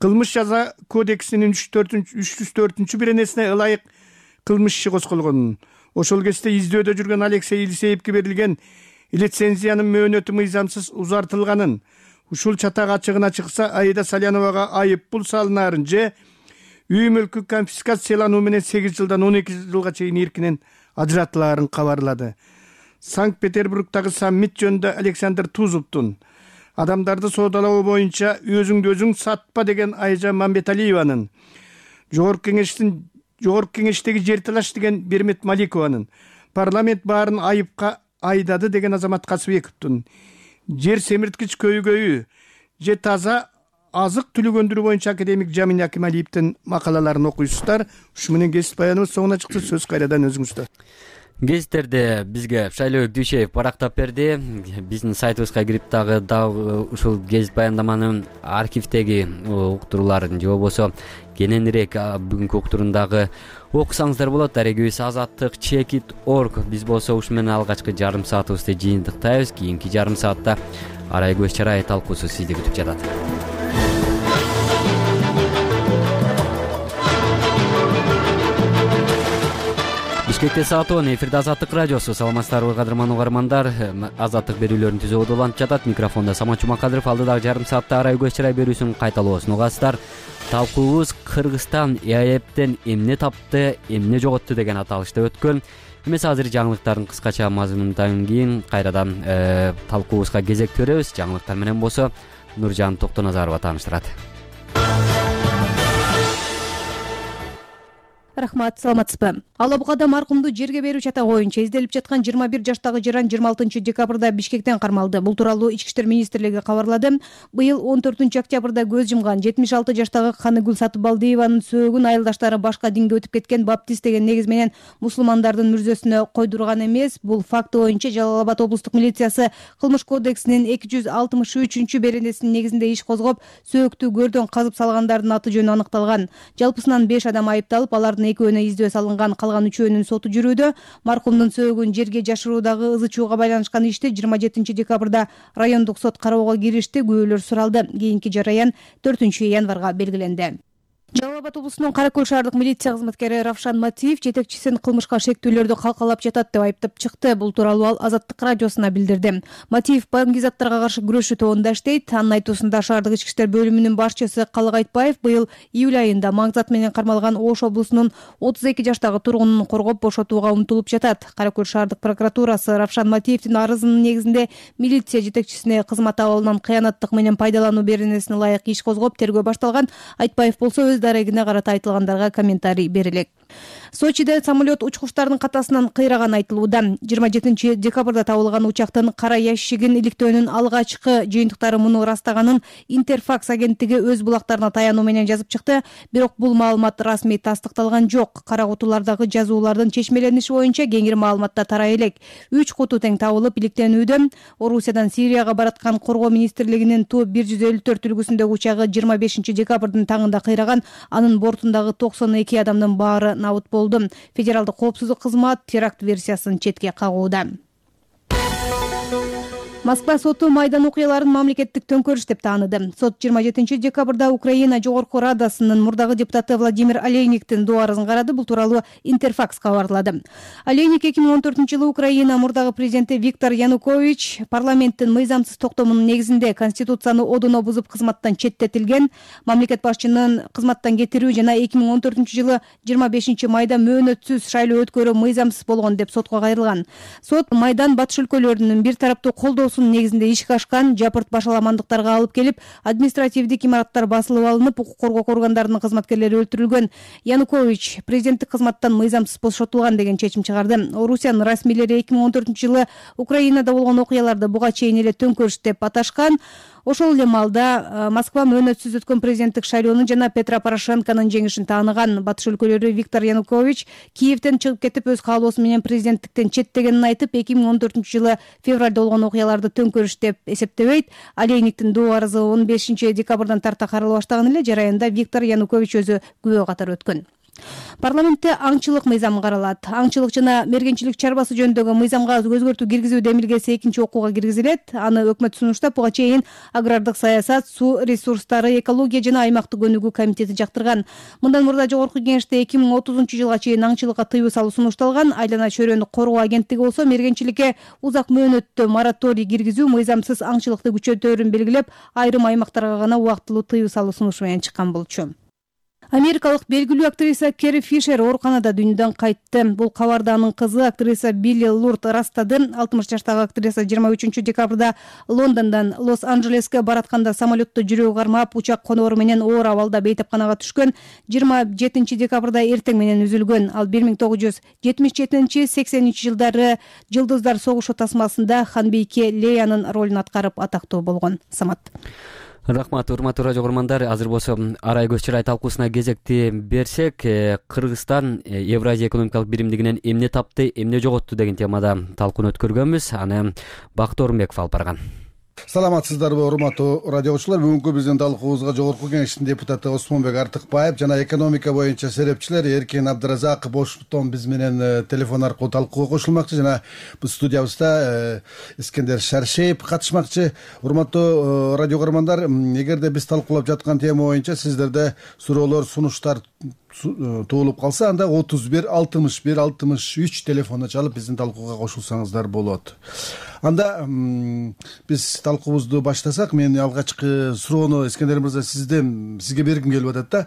кылмыш жаза кодексинин 304-чү беренесине ылайык кылмыш иши козголгонун, ошол кезде издөөдө жүргөн Алексей Илисеевге берилген лицензиянын мөөнөтү мыйзамсыз узартылганын, ушул чатак ачыгына чыкса Аида Саляновага айып пул салынаарын же үй мүлкү конфискациялануу менен 8 жылдан 12 жылга чейин эркинен ажыратылаарын кабарлады. Санкт-Петербургдагы саммит жөнүндө Александр Тузовдун адамдарды соодалоо боюнча өзүңдү өзүң сатпа деген Айжан Мамбеталиеванын, Жогорку кеңештеги жер талаш деген Бермет Маликованын, парламент баарын айыпка айдады деген Азамат Касыбековдун, жер семирткич көйгөйү же таза азык түлүк өндүрүү боюнча академик Жамин Акималиевдин макалаларын окуйсуздар. Ушу менен кесип баяныбыз соңуна чыкты. Сөз кайрадан өзүңүздө. Гезиттерди бизге Шайлообек Дүйшеев барактап берди. Биздин сайтыбызга кирип дагы ушул гезит баяндаманын архивдеги уктурууларын же болбосо кененирээк бүгүнкү уктурундагы окусаңыздар болот. Дарегибиз Азаттык.org. Биз болсо ушу менен алгачкы жарым саатыбызды жыйынтыктайбыз. Кийинки жарым саатта Арай көз чарай талкуусу сизди күтүп жатат. Бишкекте саат 10. Эфирде Азаттык радиосу. Саламатсыздарбы кадырман угармандар. Азаттык берүүлөрүн түзүүгө улантып жатат. Микрофондо Самат Жумакадыров. Алдыдагы жарым саатта Арай көз чарай берүүсүн кайталоосун угасыздар. Талкуубуз Кыргызстан ЭАЭПтен эмне тапты, эмне жоготту деген аталышта өткөн. Эмес азыр жаңылыктардын кыскача мазмунундан кийин кайрадан талкуубузга кезек беребиз. Жаңылыктар менен болсо Нуржан Токтоназарова тааныштырат. Рахмат, саламатсызбы? Ала Бугада маркумду жерге берүү чатагы боюнча изделип жаткан 21 жаштагы жаран 26 декабрда Бишкектен кармалды. Бул тууралуу Ички иштер министрлиги кабарлады. Быйыл 14 октябрда көз жумган 76 жаштагы Каныгүл Сатыбалдиеванын сөөгүн айылдаштары башка динге өтүп кеткен баптист деген негиз менен мусулмандардын мүрзөсүнө койдурган эмес. Бул факты боюнча Жалал Абад облустук милициясы Кылмыш кодексинин 263 беренесинин негизинде иш козгоп, сөөктү көрдөн казып салгандардын аты жөнү аныкталган. Жалпысынан 5 адам айыпталып, алардын экөөнө издөө салынган, калган үчөөнүн соту жүрүүдө. Маркумдун сөөгүн жерге жашыруудагы ызы чууга байланышкан ишти 27 декабрда райондук сот кароого киришти. Күбөлөр суралды. Кийинки жараян 4 январга белгиленди. Жалал Абад облусунун Каракөл шаардык милиция кызматкери Равшан Матиев жетекчисин кылмышка шектүүлөрдү калкалап жатат деп айыптап чыкты. Бул тууралуу ал Азаттык радиосуна билдирди. Матиев баңгизаттарга каршы күрөшүү тобунда иштейт. Анын айтуусунда шаардык ички иштер бөлүмүнүн башчысы Калык Айтбаев быйыл июль айында маңзат менен кармалган Ош облусунун 32 жаштагы тургунун коргоп бошотууга умтулуп жатат. Каракөл шаардык прокуратурасы Равшан Матиевдин арызынын негизинде милиция жетекчисине кызмат абалынан кыянаттык менен пайдалануу беренесине ылайык иш козгоп тергөө башталган. Айтбаев болсо дарегине карата айтылгандарга комментарий бере элек. Сочиде самолет учкучтардын катасынан кыйраган айтылууда. 27 декабрда табылган учактын кара ящигин иликтөөнүн алгачкы жыйынтыктары муну ырастаганын Интерфакс агенттиги өз булактарына таянуу менен жазып чыкты. Бирок бул маалымат расмий тастыкталган жок. Кара кутулардагы жазуулардын чечмелениши боюнча кеңири маалыматта тарай элек. 3 куту тең табылып иликтенүүдө. Орусиядан Сирияга бараткан коргоо министрлигинин Ту-154 үлгүсүндөгү учагы 25 декабрдын таңында кыйраган. Анын бортундагы 92 адамдын баары набыт болду. Федералдык коопсуздук кызмат теракт версиясын четке кагууда. Москва соту Майдан окуяларын мамлекеттик төңкөрүш деп тааныды. Сот 27 декабрда Украина Жогорку Радасынын мурдагы депутаты Владимир Олейниктин доо арызын карады. Бул тууралуу Интерфакс кабарлады. Олейник 2014 Украина мурдагы президенти Виктор Янукович парламенттин мыйзамсыз токтомунун негизинде Конституцияны одуно бузуп кызматтан четтетилген. Мамлекет башчынын кызматтан кетирүү жана 2014 25 майда мөөнөтсүз шайлоо өткөрүү мыйзамсыз болгон деп сотко кайрылган. Сот Майдан батыш өлкөлөрүнүн бир тараптуу колдоосу негизинде ишке ашкан, жапырт башаламандыктарга алып келип, административдик имараттар басылып алынып, укук коргоо органдарынын кызматкерлери өлтүрүлгөн. Янукович президенттик кызматтан мыйзамсыз бошотулган деген чечим чыгарды. Орусиянын расмийлери 2014 Украинада болгон окуяларды буга чейин эле төңкөрүш деп аташкан. Ошол эле маалда Москва мөөнөтсүз өткөн президенттик шайлоону жана Петро Порошенконун жеңишин тааныган. Батыш өлкөлөрү Виктор Янукович Киевден чыгып кетип, өз каалоосу менен президенттиктен четтегенин айтып, 2014 февралда болгон окуяларды төңкөрүш деп эсептебейт. Олейниктин доо арызы 15 декабрдан тарта карала баштаган эле. Жараянда Виктор Янукович өзү күбө катары өткөн. Парламентте аңчылык мыйзамы каралат. Аңчылык жана мергенчилик чарбасы жөнүндөгү мыйзамга өзгөртүү киргизүү демилгеси экинчи окууга киргизилет. Аны өкмөт сунуштап, буга чейин агрардык саясат, суу ресурстары, экология жана аймактык өнүгүү комитети жактырган. Мындан мурда жогорку кеңеште 2030 жылга чейин аңчылыкка тыюу салуу сунушталган. Айлана чөйрөнү коргоо агенттиги болсо мергенчиликке узак мөөнөттүү мораторий киргизүү, мыйзамсыз аңчылыкты күчөтөөрүн белгилеп, айрым аймактарга гана убактылуу тыюу салуу сунушу менен чыккан болчу. Америкалык белгилүү актриса Керри Фишер ооруканада дүйнөдөн кайтты. Бул кабарды анын кызы актриса Билли Лурд ырастады. 60 жаштагы актриса 23 декабрда Лондондон Лос-Анджелеске баратканда самолетто жүрөгү кармап, учак конору менен оор абалда бейтапканага түшкөн. 27 декабрда эртең менен үзүлгөн. Ал 1977-80 жылдары Жылдыздар согушу тасмасында ханбийке Леянын ролун аткарып атактуу болгон. Самат. Рахмат, урматтуу радио көрөрмандар. Азыр болсо арай көз чырай талкуусуна кезекти берсек, Кыргызстан Евразия экономикалык биримдигинен эмне тапты, эмне жоготту деген темада талкууну өткөргөнбүз. Аны Бакыт Орунбеков алып барган. Саламатсыздарбы, урматтуу радиочулар. Бүгүнкү биздин талкуубузга Жогорку Кеңештин депутаты Осмонбек Артыкбаев жана экономика боюнча серепчилер Эркин Абдыразаков Бошоктон биз менен телефон аркылуу талкууга кошулмакчы, жана биз студиябызда Искендер Шаршеев катышмакчы. Урматтуу радио көрөрмандар, эгерде биз талкуулап жаткан тема боюнча сиздерде суроолор, сунуштар туулуп калса, анда 31 61 63 телефонуна чалып биздин талкууга кошулсаңыздар болот. Анда биз талкуубузду баштасак, мен алгачкы суроону Искендер мырза сизге бергим келип атат да.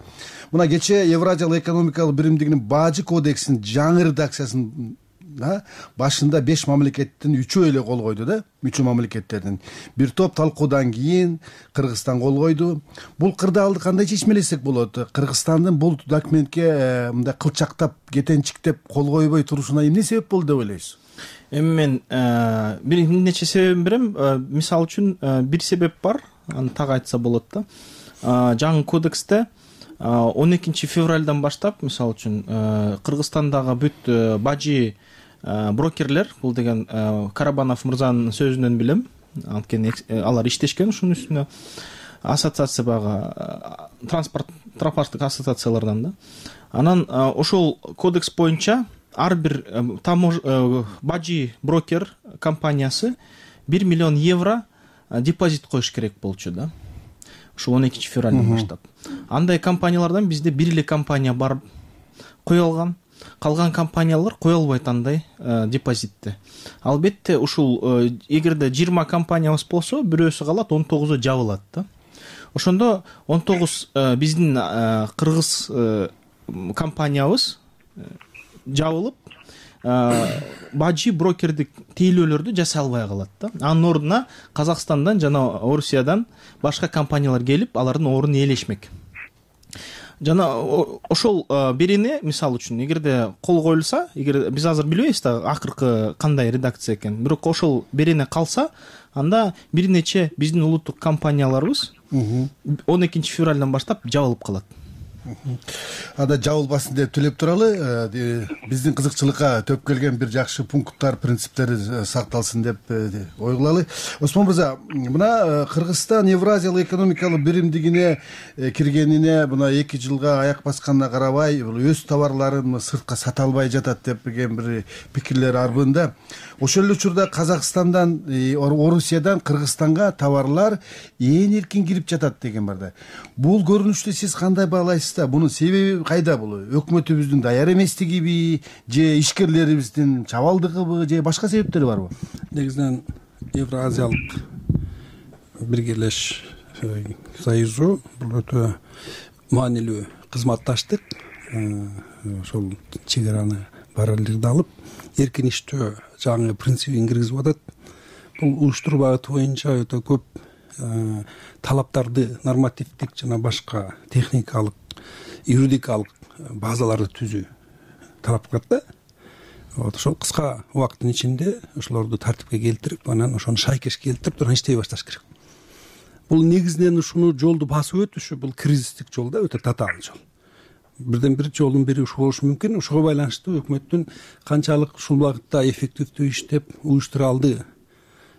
Мына кечээ Евразиялык экономикалык биримдигинин бажы кодексинин жаңы редакциясын башында 5 мамлекеттин 3-өө эле кол койду да, мүчө мамлекеттердин. Бир топ талкуудан кийин Кыргызстан кол койду. Бул кырдаалды кандай чечмелесек болот? Кыргызстандын бул документке мындай кылчактап, кетенчиктеп кол койбой турушуна эмне себеп болду деп ойлойсуз? Эми мен бир нече себебин берем. Мисалы үчүн бир себеп бар, аны так айтса болот да. Жаңы кодексте 12 февралдан баштап, мисалы үчүн, Кыргызстандагы бүт бажы брокерлер, бул деген Карабанов мырзанын сөзүнөн билем, анткени алар иштешкен ушунун үстүнө, ассоциация багы транспорттук ассоциациялардан да. Анан ошол кодекс боюнча ар бир бажы брокер компаниясы 1 миллион евро депозит коюш керек болчу да. Ошо 12 февралдан баштап. Андай компаниялардан бизде бир эле компания бар кое алган. Калган компаниялар кое албайт андай депозитти. Албетте ушул эгерде 20 компаниябыз болсо, бирөөсү калат, 19-у жабылат да. Ошондо 19 биздин кыргыз компаниябыз жабылып, бажы брокердик тейлөөлөрдү жасай албай калат да. Анын ордуна Казакстандан жана Орусиядан башка компаниялар келип, алардын ордун ээлешмек. Жана ошол берене, мисалы үчүн, эгерде кол коюлса, эгер биз азыр билбейбиз да акыркы кандай редакция экен, бирок ошол берене калса, анда бир нече биздин улуттук компанияларыбыз 12 февралдан баштап жабылып калат. Ада жабылбасын деп тилеп туралы, биздин кызыкчылыкка төп келген бир жакшы пункттар, принциптери сакталсын деп ой кылалы. Осмон мырза, мына Кыргызстан Евразиялык экономикалык биримдигине киргенине мына 2 жылга аяк басканына карабай, бул өз товарларын сыртка сата албай жатат деп деген бир пикирлер арбында. Ошол эле учурда Казакстандан, Орусиядан Кыргызстанга товарлар ээн эркин кирип жатат деген бар да. Бул көрүнүштү сиз кандай баалайсыз? Бунун себеби кайда? Бул өкмөтүбүздүн даяр эместигиби, же ишкерлерибиздин чабалдыгыбы, же башка себептери барбы? Негизинен Евразиялык биргелеш союзу бул өтө маанилүү кызматташтык, ошол чегараны параллелдүү алып, эркин иштөө жаңы принцибин киргизип атат. Бул уюштуруу багыты боюнча өтө көп талаптарды, нормативдик жана башка техникалык, юридикалык базаларды түзүү талап кылат да. Ошол кыска убакыттын ичинде ошолорду тартипке келтирип, анан ошону шайкеш келтирип, анан иштей башташ керек. Бул негизинен ушуну жолду басып өтүшү, бул кризистик жол да, өтө татаал жол. Бирден бир жолдун бири ушул болушу мүмкүн. Ошого байланыштуу өкмөттүн канчалык ушул багытта эффективдүү иштеп, уюштура алды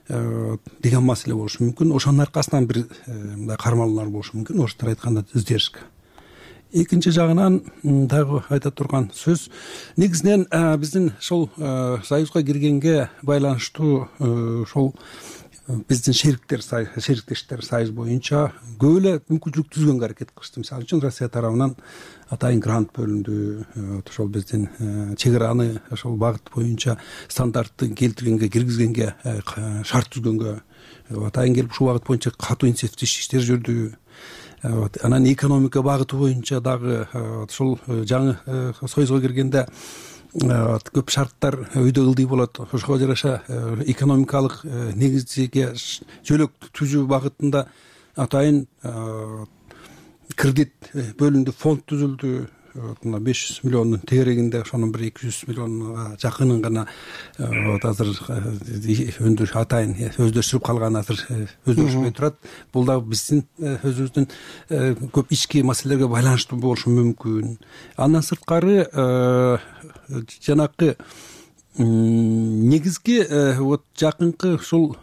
деген маселе болушу мүмкүн. Ошонун аркасынан бир мындай кармалуулар болушу мүмкүн, орустар айтканда издержка. Экинчи жагынан дагы айта турган сөз, негизинен биздин ошол союзга киргенге байланыштуу ошол биздин шериктештер союз боюнча көп эле мүмкүнчүлүк түзгөнгө аракет кылышты. Мисалы үчүн Россия тарабынан атайын грант бөлүндү, ошол биздин чегараны ошол багыт боюнча стандарттын келтиргенге, киргизгенге, шарт түзгөнгө Атайын келип ушул багыт боюнча катуу инициативдүү иштер жүрдү. Анан экономика багыты боюнча дагы ушул жаңы союзга киргенде көп шарттар өйдө ылдый болот. Ошого жараша экономикалык негизге жөлөк түзүү багытында атайын кредит бөлүндү, фонд түзүлдү. 500 миллиондун тегерегинде ошонун бир 200 миллионга жакынын гана азыр атайын өздөштүрүп калган, азыр өздөштүрбөй турат. Бул да биздин өзүбүздүн көп ички маселелерге байланыштуу болушу мүмкүн. Андан сырткары жанакы негизги вот жакынкы ушул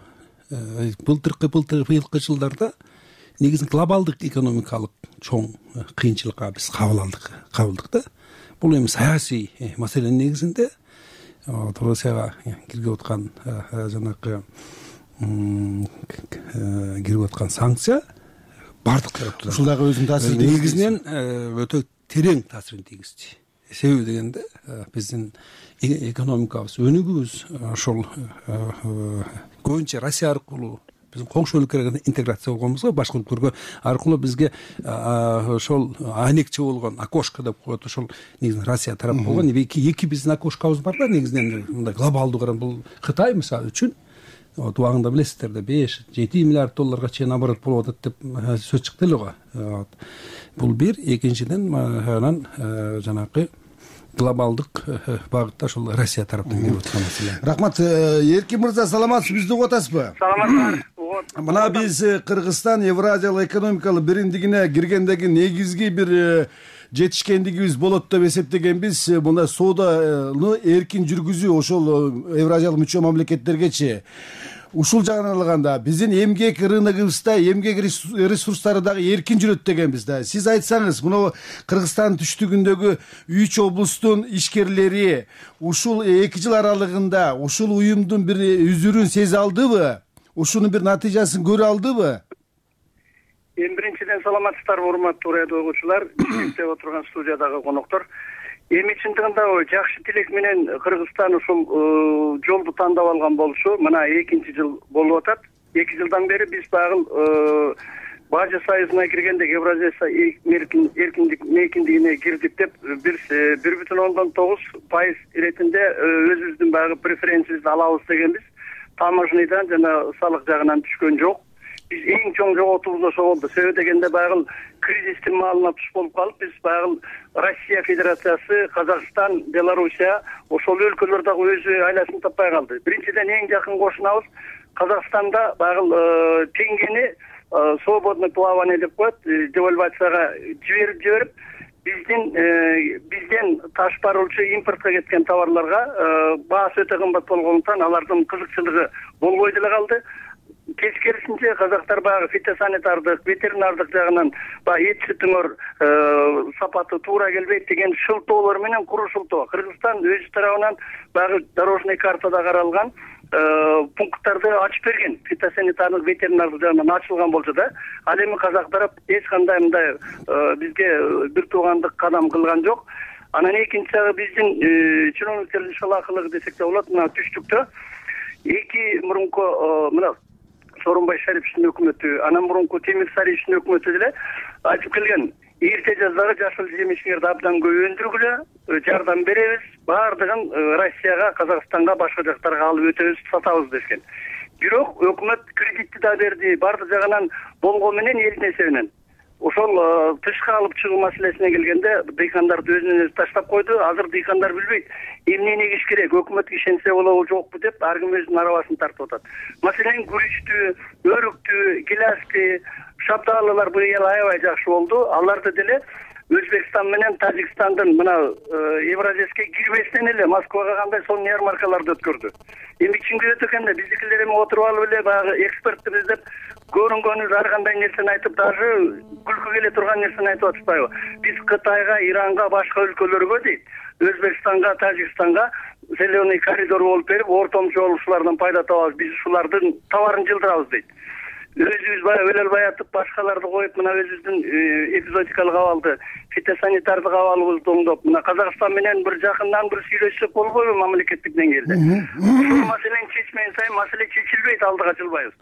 быйылкы жылдарда негизин глобалдык экономикалык чоң кыйынчылыкка биз кабылдык да. Бул эми саясий маселенин негизинде Россияга киргип аткан жанакы кирип аткан санкция бардык тараптан ушул дагы өзүнүн таасирин негизинен өтө терең таасирин тийгизди. Себеби дегенде биздин экономикабыз, өнүгүүбүз ошол көбүнчө Россия аркылуу биздин коңшу өлкөлөргө интеграция болгонбузго, башка өлкөлөргө аркылуу бизге ошол айнекче болгон окошко деп коет, ошол негизинен Россия тарап болгон. Эки биздин окошкобуз бар да, негизинен мындай глобалдуу карап. Бул Кытай мисалы үчүн убагында билесиздер да 5-7 миллиард долларга чейин оборот болуп атат деп сөз чыкты эле го. Бул бир. Экинчиден анан жанакы глобалдык багытта ошол Россия тараптан келип аткан маселе. Рахмат. Эркин мырза, саламатсызбы? Бизди угуп атасызбы? Саламатсыздар. Мына биз Кыргызстан Евразиялык экономикалык биримдигине киргендеги негизги бир жетишкендигибиз болот деп эсептегенбиз. Мына сооданы эркин жүргүзүү ошол Евразиялык мүчө мамлекеттергечи. Ушул жагынан алганда биздин эмгек рыногубузда эмгек ресурстары дагы эркин жүрөт дегенбиз да. Сиз айтсаңыз, мына Кыргызстан түштүгүндөгү 3 облустун ишкерлери ушул 2 жыл аралыгында ушул уюмдун бир үзүрүн сезе алдыбы? Ушунун бир натыйжасын көрө алдыбы? Эми биринчиден саламатсыздарбы, урматтуу радио угуучулар, иштеп отурган студиядагы коноктор. Эми чындыгында жакшы тилек менен Кыргызстан ушул жолду тандап алган болушу мына 2 жыл болуп атат. 2 жылдан бери биз багыл Бажы союзуна киргенде Евразия эркиндигине кирдик деп 1,9% иретинде өзүбүздүн багы преференциябызды алабыз дегенбиз. Таможнядан жана салык жагынан түшкөн жок. Биз эң чоң жоготуубуз ошо болду. Себеби дегенде багыл кризистин маалына туш болуп калып, биз багыл Россия Федерациясы, Казакстан, Белоруссия ошол өлкөлөр дагы өзү айласын таппай калды. Биринчиден эң жакын кошунабыз Казакстанда багыл теңгени свободный плавание деп коет, девальвацияга жиберип бизден таш баруучу импортко кеткен товарларга баасы өтө кымбат болгондуктан алардын кызыкчылыгы болбой деле калды. Тескерисинче казактар багы фитосанитардык, ветеринардык жагынан баягы эт сүтүңөр сапаты туура келбейт деген шылтоолор менен куру шылтоо. Кыргызстан өз тарабынан багы дорожный картада каралган пункттарды ачып берген, фитосанитардык, ветеринардык жагынан ачылган болчу да. Ал эми казак тарап эч кандай мындай бизге бир туугандык кадам кылган жок. Анан экинчи жагы биздин чиновниктердин шалаакылыгы десек да болот. Мына түштүктө эки мурунку мына Сооронбай Шариповичтин өкмөтү, анан мурунку Темир Сариевичтин өкмөтү деле айтып келген. Эрте жаздагы жашыл жемиштерди абдан көп өндүргүлө, жардам беребиз, баардыгын Россияга, Казакстанга, башка жактарга алып өтөбүз, сатабыз дешкен. Бирок өкмөт кредитти да берди, баардык жагынан болгон менен элдин эсебинен. Ошол тышка алып чыгуу маселесине келгенде дыйкандарды өзүнөн өзү таштап койду. Азыр дыйкандар билбейт эмнени эгиш керек, өкмөткө ишенсе болобу жокпу деп ар ким өзүнүн арабасын тартып атат. Маселен күрүчтү, өрүктү, гилясты, шабдалылар бул ел аябай жакшы болду. Аларды деле Өзбекстан менен Тажикстандын мына Евразияске кирбестен эле Москвага кандай сонун ярмаркаларды өткөрдү. Эми чынга өтө экенде биздикилер эми отуруп алып эле баягы экспертибиз деп көрүнгөнүбүз ар кандай нерсени айтып, даже күлкү келе турган нерсени айтып атышпайбы? Биз Кытайга, Иранга, башка өлкөлөргө дейт, Өзбекстанга, Тажикстанга зеленый коридор болуп берип, ортомчу ушулардан пайда табабыз, биз ушулардын товарын жылдырабыз дейт. Өзүбүз баягы өлө албай атып, башкаларды коюп, мына өзүбүздүн эпизодикалык абалды фитосанитардык абалыбызды оңдоп мына Казакстан менен бир жакындан бир сүйлөшсөк болбойбу мамлекеттик деңгээлде? Ушул маселени чечмеген сайын маселе чечилбейт, алдыга жылбайбыз.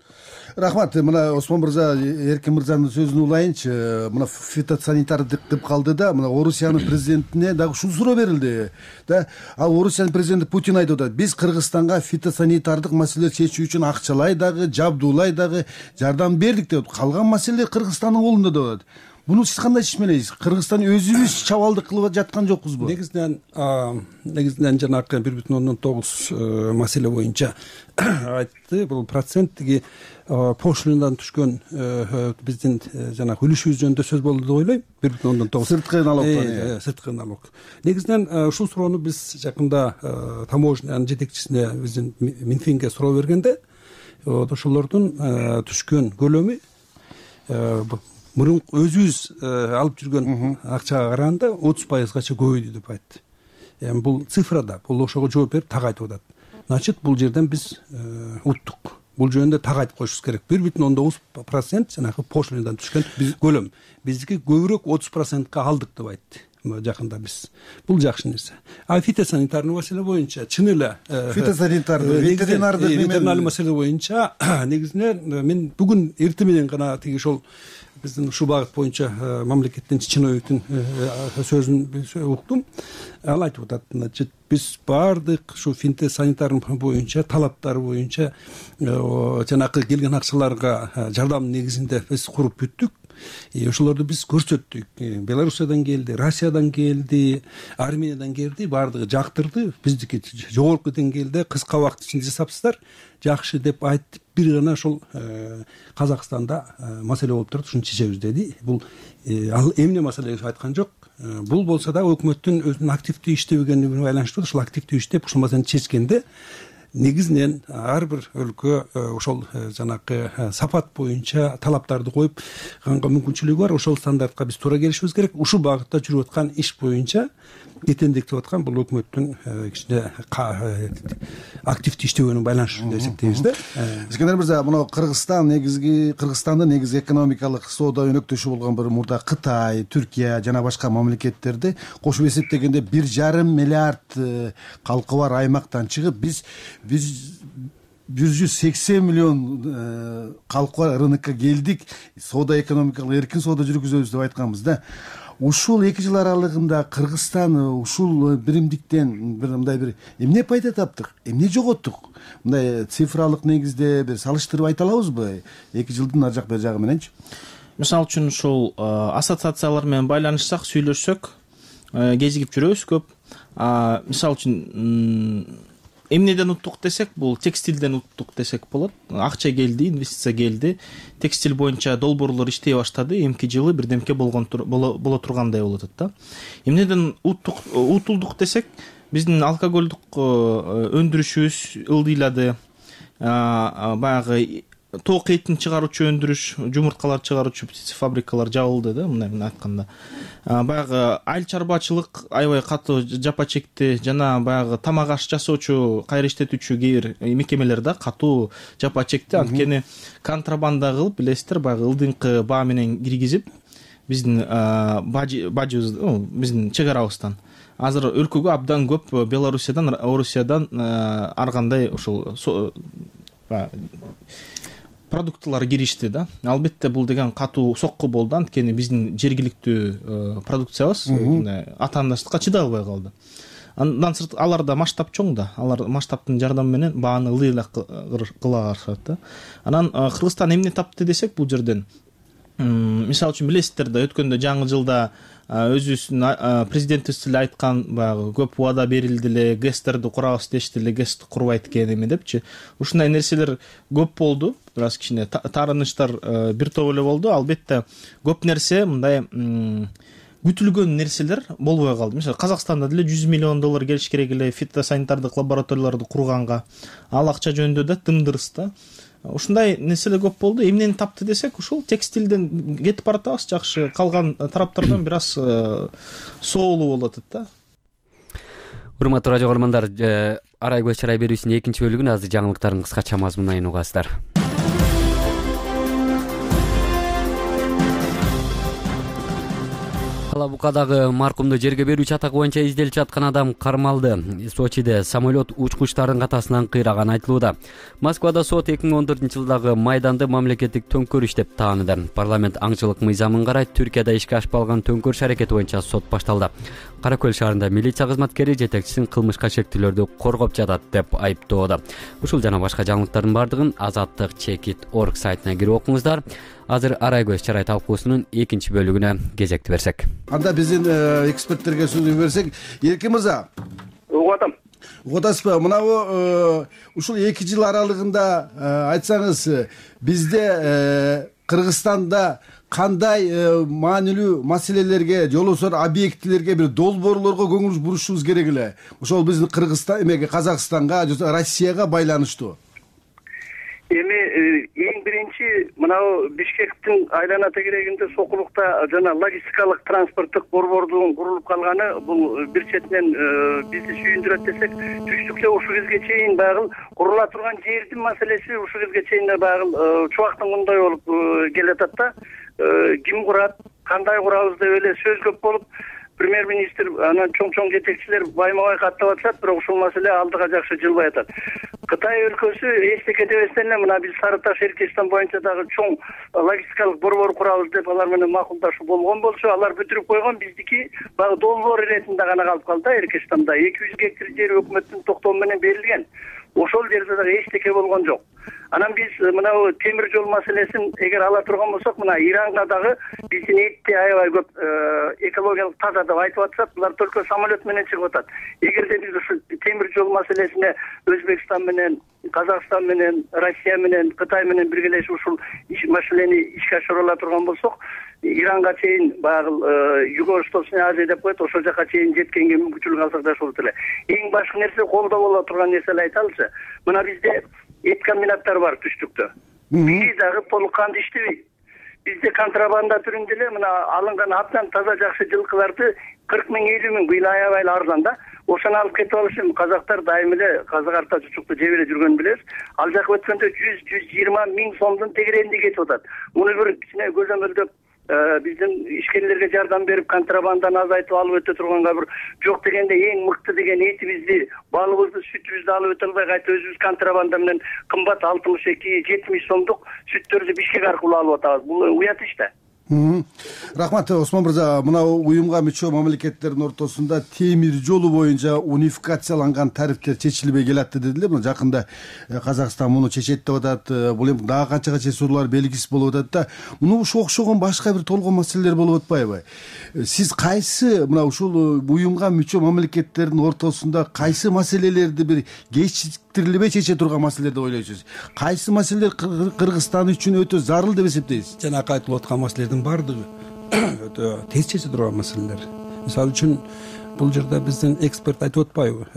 Рахмат. Мына Осмон мырза, Эркин мырзанын сөзүн улайынчы. Мына фитосанитардык деп калды да, мына Орусиянын президентине дагы ушул суроо берилди. Да, ал Орусиянын президенти Путин айтып атат, биз Кыргызстанга фитосанитардык маселе чечүү үчүн акчалай дагы, жабдуулай дагы жардам бердик деп. Калган маселе Кыргызстандын колунда деп атат. Буну сиз кандай чечмелейсиз? Кыргызстан өзүбүз чабалдык кылып жаткан жокпузбу? Негизинен жанагы 1,9 маселе боюнча айтты. Бул процент тиги пошлинадан түшкөн биздин жанагы үлүшүбүз жөнүндө сөз болду деп ойлойм. 1,9 сырткы налог. Сырткы налог. Негизинен ушул суроону биз жакында таможнянын жетекчисине биздин Минфинге суроо бергенде ошолордун түшкөн көлөмү мурун өзүбүз алып жүргөн акчага караганда 30%гача көбөйдү деп айтты. Эми бул цифрада, бул ошого жооп берип так айтып атат. Значит, бул жерден биз уттук. Бул жөнүндө так айтып коюшубуз керек. 1,9% жанагы пошлинадан түшкөн көлөм. Биздики көбүрөөк 30%га алдык деп айтты. Жакында биз. Бул жакшы нерсе. А фитосанитардык маселе боюнча чын эле ветеринардык маселе боюнча негизинен мен бүгүн эртең менен гана тиги ошол биздин ушул багыт боюнча мамлекеттин чиновниктин сөзүн уктум. Ал айтып атат, значит, биз баардык ушу фитосанитардык боюнча талаптар боюнча жанагы келген акчаларга жардам негизинде биз куруп бүттүк. Ошолорду биз көрсөттүк. Белоруссиядан келди, Россиядан келди, Армениядан келди, баардыгы жактырды. Биздики жогорку деңгээлде кыска убакыт ичинде жасапсыздар, жакшы деп айтып, бир гана ошол Казакстанда маселе болуп турат, ушуну чечебиз деди. Бул ал эмне маселе айткан жок. Бул болсо да өкмөттүн өзүнүн активдүү иштебегенине байланыштуу. Ошол активдүү иштеп ушул маселени чечкенде негизинен ар бир өлкө ошол жанагы сапат боюнча талаптарды коюп мүмкүнчүлүгү бар. Ошол стандартка биз туура келишибиз керек. Ушул багытта жүрүп аткан иш боюнча кетендиктеп аткан бул өкмөттүн кичине активдүү иштебегенине байланыштуу деп эсептейбиз да. Искендер мырза, мына Кыргызстандын негизги экономикалык соода өнөктөшү болгон бир мурда Кытай, Түркия жана башка мамлекеттерди кошуп эсептегенде 1,5 миллиард калкы бар аймактан чыгып биз 180 миллион калкы бар рынокко келдик, соода экономикалык эркин соода жүргүзөбүз деп айтканбыз да. Ушул 2 жыл аралыгында Кыргызстан ушул биримдиктен бир мындай бир эмне пайда таптык, эмне жоготтук? Мындай цифралык негизде бир салыштырып айта алабызбы? 2 жылдын ар жак бер жагы мененчи. Мисалы үчүн ушул ассоциациялар менен байланышсак, сүйлөшсөк, кезигип жүрөбүз көп. Мисалы үчүн эмнеден уттук десек, бул текстилден уттук десек болот. Акча келди, инвестиция келди. Текстил боюнча долбоорлор иштей баштады. Эмки жылы бирдемке боло тургандай болуп атат да. Эмнеден утулдук десек, биздин алкоголдук өндүрүшүбүз ылдыйлады. Баягы тоок этин чыгаруучу өндүрүш, жумурткалар чыгаруучу фабрикалар жабылды да, мындай айтканда. Баягы айыл чарбачылык аябай катуу жапа чекти, жана баягы тамак аш жасоочу, кайра иштетүүчү кээ бир мекемелер да катуу жапа чекти. Анткени контрабанда кылып, билесиздер, баягы ылдыңкы баа менен киргизип, биздин бажыбыз, биздин чек арабыздан азыр өлкөгө абдан көп Белоруссиядан, Орусиядан ар кандай ушул продуктылар киришти да. Албетте бул деген катуу сокку болду, анткени биздин жергиликтүү продукциябыз атаандаштыкка чыдай албай калды. Андан сырт аларда масштаб чоң да, алар масштабтын жардамы менен бааны ылдыйлак кыла алышат да. Анан Кыргызстан эмне тапты десек, бул жерден мисалы үчүн билесиздер да, өткөндө жаңы жылда өзүбүздүн президентибиз эле айткан, баягы көп убада берилди эле, ГЭСтерди курабыз дешти эле, ГЭСти курбайт экен эми депчи. Ушундай нерселер көп болду. Бир аз кичине таарынычтар бир топ эле болду. Албетте көп нерсе мындай күтүлгөн нерселер болбой калды. Мисалы Казакстанда деле 100 миллион доллар келиш керек эле фитосанитардык лабораторияларды курганга. Ал акча жөнүндө да тымдырыс да. Ушундай нерселер көп болду. Эмнени тапты десек, ушул текстилден кетип баратабыз, жакшы. Калган тараптардан бир аз соолуу болуп атат да. Урматтуу радио көрөрмандар, Арай көз чарай берүүсүнүн 2-чи бөлүгүн азыр жаңылыктардын кыскача мазмунунан угасыздар. Ала Букадагы маркумду жерге берүүчү атак боюнча изделип жаткан адам кармалды. Сочиде самолет учкучтардын катасынан кыйраганы айтылууда. Москвада сот 2014-жылдагы Майданды мамлекеттик төңкөрүш деп тааныды. Парламент аңчылык мыйзамын карай Түркияда ишке ашпалган төңкөрүш аракети боюнча сот башталды. Кара Көл шаарында милиция кызматкери жетекчисин кылмышка шектүүлөрдү коргоп жатат деп айыптоодо. Ушул жана башка жаңылыктардын бардыгын azattik.org сайтына кирип окуңуздар. Азыр арай көз чарай талкуусунун экинчи бөлүгүнө кезекти берсек. Анда биздин эксперттерге сөз берсек, Эркин мырза. Угуп атам. Угуп атасызбы? Мынабу ушул 2 жыл аралыгында айтсаңыз, бизде Кыргызстанда кандай маанилүү маселелерге, жолосор объектилерге, бир долбоорлорго көңүл бурушубуз керек эле? Ошол биздин Кыргызстан эмеге, Казакстанга, Россияга байланыштуу. Эми эң биринчи мынау Бишкектин айлана тегерегинде Сокулукта жана логистикалык транспорттук борбордун курулуп калганы бул бир четинен бизди сүйүндүрөт десек, түштүктө ушул кезге чейин багыл курула турган жердин маселеси ушул кезге чейин багыл чубактын мындай болуп келатат да. Ким курат, кандай курабыз деп эле сөз көп болуп, премьер-министр анан чоң жетекчилер байма-бай каттап атышат, бирок ушул маселе алдыга жакшы жылбай атат. Кытай өлкөсү эчтеке дебестен эле мына биз Сары Таш Эркечтан боюнча дагы чоң логистикалык борбор курабыз деп алар менен макулдашуу болгон болчу, алар бүтүрүп койгон, биздики баягы долбоор иретинде гана калып калды да. Эркечтанда 200 гектар жер өкмөттүн токтому менен берилген. Ошол жерде дагы эчтеке болгон жок. Анан биз мына темир жол маселесин эгер ала турган болсок, мына Иранга дагы биздин этти аябай көп экологиялык таза деп айтып атышат. Булар только самолет менен чыгып атат. Эгерде биз ушул темир жол маселесине Өзбекстан менен, Казакстан менен, Россия менен, Кытай менен биргелешип ушул маселени ишке ашыра турган болсок, Иранга чейин баягы Юго-Восточный Азия деп коет, ошол жака чейин жеткенге мүмкүнчүлүк алсак да болот эле. Эң башкы нерсе колдо боло турган нерсени айталычы. Мына бизде эт комбинаттар бар түштүктө. Бири дагы толук кандуу иштебейт. Бизде контрабанда түрүндө эле мына алынган абдан таза жакшы жылкыларды 40 миң, 50 миң быйыл аябай арзан да. Ошону алып кетип алышым. Казактар дайым эле казак арта чучукту жеп эле жүргөнүн билебиз. Ал жака өткөндө 100-120 миң сомдун тегерегинде кетип атат. Муну бир кичине көзөмөлдөп биздин ишкерлерге жардам берип контрабанданы азайтып алып өтө турганга бир жок дегенде эң мыкты деген этибизди, балыбызды, сүтүбүздү алып өтө албай кайта өзүбүз контрабанда менен кымбат 62-70 сомдук сүттөрдү Бишкек аркылуу алып атабыз. Бул уят иш да. Рахмат Осмон мырза. Мына уюмга мүчө мамлекеттердин ортосунда темир жолу боюнча унификацияланган тарифтер чечилбей келатты дедилер. Мына жакында Казакстан муну чечет деп атат. Бул эми дагы канчага чечүүлөр белгисиз болуп атат да. Муну окшогон башка бир толгон маселелер болуп атпайбы? Сиз кайсы мына ушул уюмга мүчө мамлекеттердин ортосунда кайсы маселелерди бир кечиктирилбей чече турган маселелер деп ойлойсуз? Кайсы маселелер Кыргызстан үчүн өтө зарыл деп эсептейсиз? Жанакы айтылып аткан маселелердин бардыгы өтө тез чече турган маселелер. Мисалы үчүн бул жерде биздин эксперт айтып атпайбы?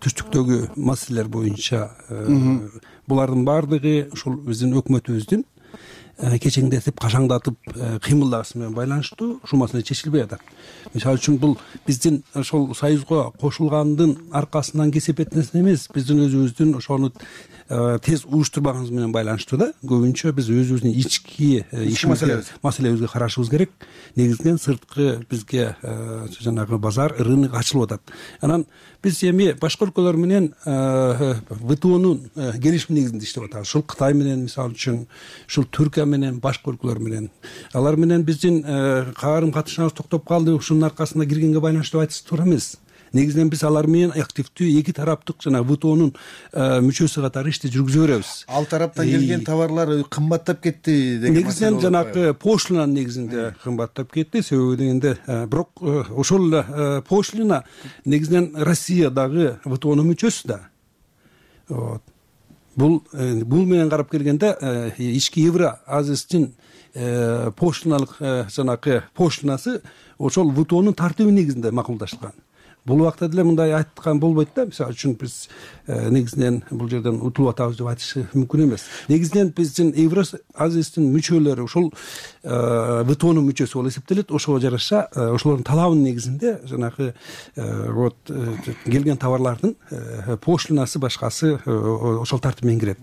Түштүктөгү маселелер боюнча булардын бардыгы ушул биздин өкмөтүбүздүн кечеңдетип, кашаңдатып кыймылдашысы менен байланыштуу. Ушул маселе чечилбей атат. Мисалы үчүн бул биздин ошол союзга кошулгандын аркасынан кесип этнеси эмес, биздин өзүбүздүн ошону тез уюштурбаганыбыз менен байланыштуу да. Көбүнчө биз өзүбүздүн ички маселебизге карашыбыз керек. Негизинен сырткы бизге жанагы базар, рынок ачылып атат. Анан биз эми башка өлкөлөр менен ВТОнун келишими негизинде иштеп атабыз. Ушул Кытай менен, мисалы үчүн, ушул Түркия менен, башка өлкөлөр менен. Алар менен биздин карым катышыбыз токтоп калды. Ушунун аркасында киргенге байланыштуу айтышып туура эмес. Негизинен биз алар менен активдүү эки тараптык жана ВТОнун мүчөсү катары ишти жүргүзө беребиз. Ал тараптан келген товарлар кымбаттап кетти деген. Негизинен жанагы пошлинанын негизинде кымбаттап кетти. Себеби дегенде бирок ошол пошлина негизинен Россиядагы ВТОнун мүчөсү да. Бул менен карап келгенде ички Евразиядын пошлиналык жанагы пошлинасы ошол ВТОнун тартиби негизинде макулдашылган. Бул убакта деле мындай айткан болбойт да. Мисалы үчүн биз негизинен бул жерден утулуп атабыз деп айтыш мүмкүн эмес. Негизинен биздин Евразиядын мүчөлөрү ошол ВТОнун мүчөсү болуп эсептелет. Ошого жараша ошолордун талабынын негизинде жанагы вот келген товарлардын пошлинасы башкасы ошол тартип менен кирет.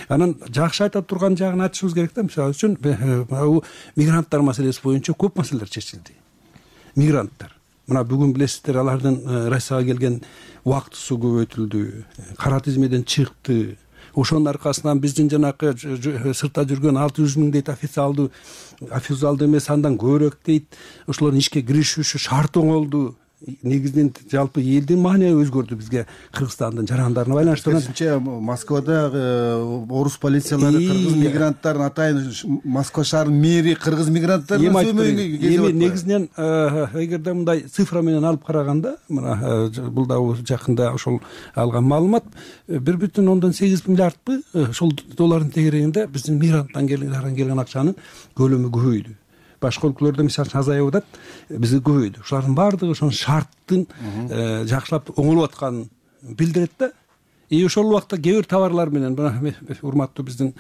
Анан жакшы айта турган жагын айтышыбыз керек да. Мисалы үчүн мигранттар маселеси боюнча көп маселелер чечилди. мигранттар. Мына бүгүн билесиздер, алардын Россияга келген убактысы көбөйтүлдү, кара тизмеден чыкты. Ошонун аркасынан биздин жанакы сыртта жүргөн 600 000 дейт официалдуу эмес, андан көбүрөөк дейт. Ошолордун ишке киришүүсү шарт оңолду. Негизинен жалпы элдин маанайы өзгөрдү бизге Кыргызстандын жарандарына байланыштуу. Керисинче Москвада орус полициялары кыргыз мигранттарын атайын Москва шаарынын мэри кыргыз мигранттарын сөмөйүнгө кезип атты. Негизинен эгерде мындай цифра менен алып караганда, мына бул да жакында ошол алган маалымат 1,8 миллиардпы ошол доллардын тегерегинде биздин мигранттан келген акчанын көлөмү көбөйдү. Башка өлкөлөрдө мисалы үчүн азайып атат, бизде көбөйдү. Ошолардын баардыгы ошонун шарттын жакшылап оңолуп атканын билдирет да. Ошол убакта кээ бир товарлар менен, урматтуу биздин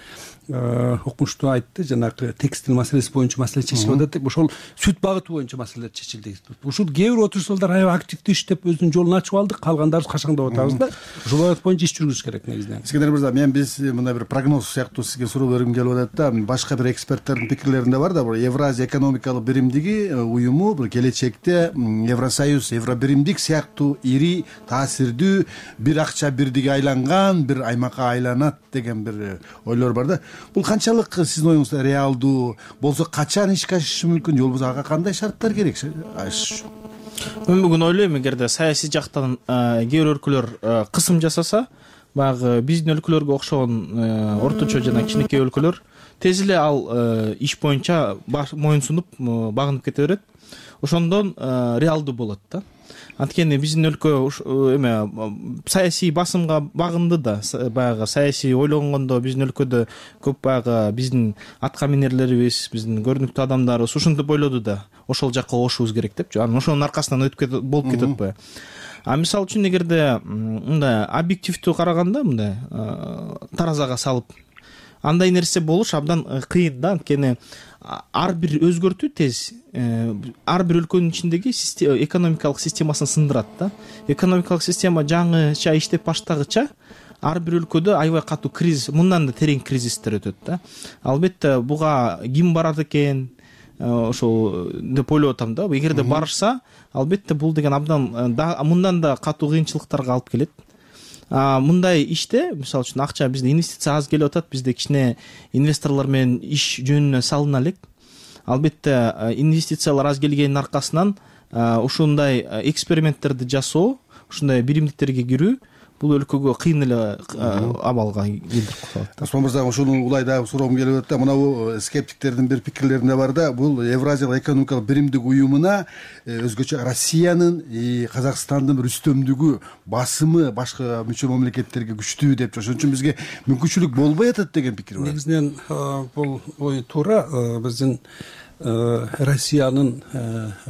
окумуштуу айтты, жанагы текстиль маселеси боюнча маселе чечилип атат деп, ошол сүт багыты боюнча маселелер чечилди. Ушул кээ бир отурушчулар аябай активдүү иштеп өзүнүн жолун ачып алдык, калгандарыбыз качаңдап атабыз да. Ошол багыт боюнча иш жүргүзүш керек негизинен. Искендер мырза, биз мындай бир прогноз сыяктуу сизге суроо бергим келип атат да. Башка бир эксперттердин пикирлеринде бар да, бул Евразия экономикалык биримдиги уюму бул келечекте Евросоюз, Евробиримдик сыяктуу ири, таасирдүү бир акча бирдиги айланган бир аймакка айланат деген бир ойлор бар да. Бул канчалык сиздин оюңузда реалдуу болсо, качан ишке ашышы мүмкүн, же болбосо ага кандай шарттар керек? Мен бүгүн ойлойм, эгерде саясий жактан кээ бир өлкөлөр кысым жасаса, баягы биздин өлкөлөргө окшогон орточо жана кичинекей өлкөлөр тез эле ал иш боюнча моюн сунуп багынып кете берет. Ошондон реалдуу болот да. Анткени биздин өлкө саясий басымга багынды да. Баягы саясий ойлонгондо биздин өлкөдө көп баягы биздин атка минерлерибиз, биздин көрүнүктүү адамдарыбыз ушинтип ойлоду да. Ошол жакка огушубуз керек депчи. Анан ошонун аркасынан болуп кетип атпайбы? Мисалы үчүн эгерде мындай объективдүү караганда, мындай таразага салып андай нерсе болуш абдан кыйын да. Анткени ар бир өзгөртүү тез ар бир өлкөнүн ичиндеги экономикалык системасын сындырат да. Экономикалык система жаңыча иштеп баштагыча ар бир өлкөдө аябай катуу кризис, мындан да терең кризистер өтөт да. Албетте буга ким барат экен, ошол деп ойлоп атам да. Эгерде барышса, албетте бул деген абдан мындан да катуу кыйынчылыктарга алып келет. Мындай иште, мисалы үчүн акча бизде инвестиция аз келип атат, бизде кичине инвесторлор менен иш жөнүнө салына элек. Албетте инвестициялар аз келгенин аркасынан ушундай эксперименттерди жасоо, ушундай биримдиктерге кирүү бул өлкөгө кыйын эле абалга келтирип коет. Осмон мырза, ошону улай дагы суроом келип атат да. Мына скептиктердин бир пикирлеринде бар да, бул Евразиялык экономикалык биримдик уюмуна өзгөчө Россиянын Казакстандын бир үстөмдүгү, басымы башка мүчө мамлекеттерге күчтүү деп, ошон үчүн бизге мүмкүнчүлүк болбой атат деген пикир бар. Негизинен бул ой туура. Биздин Россиянын,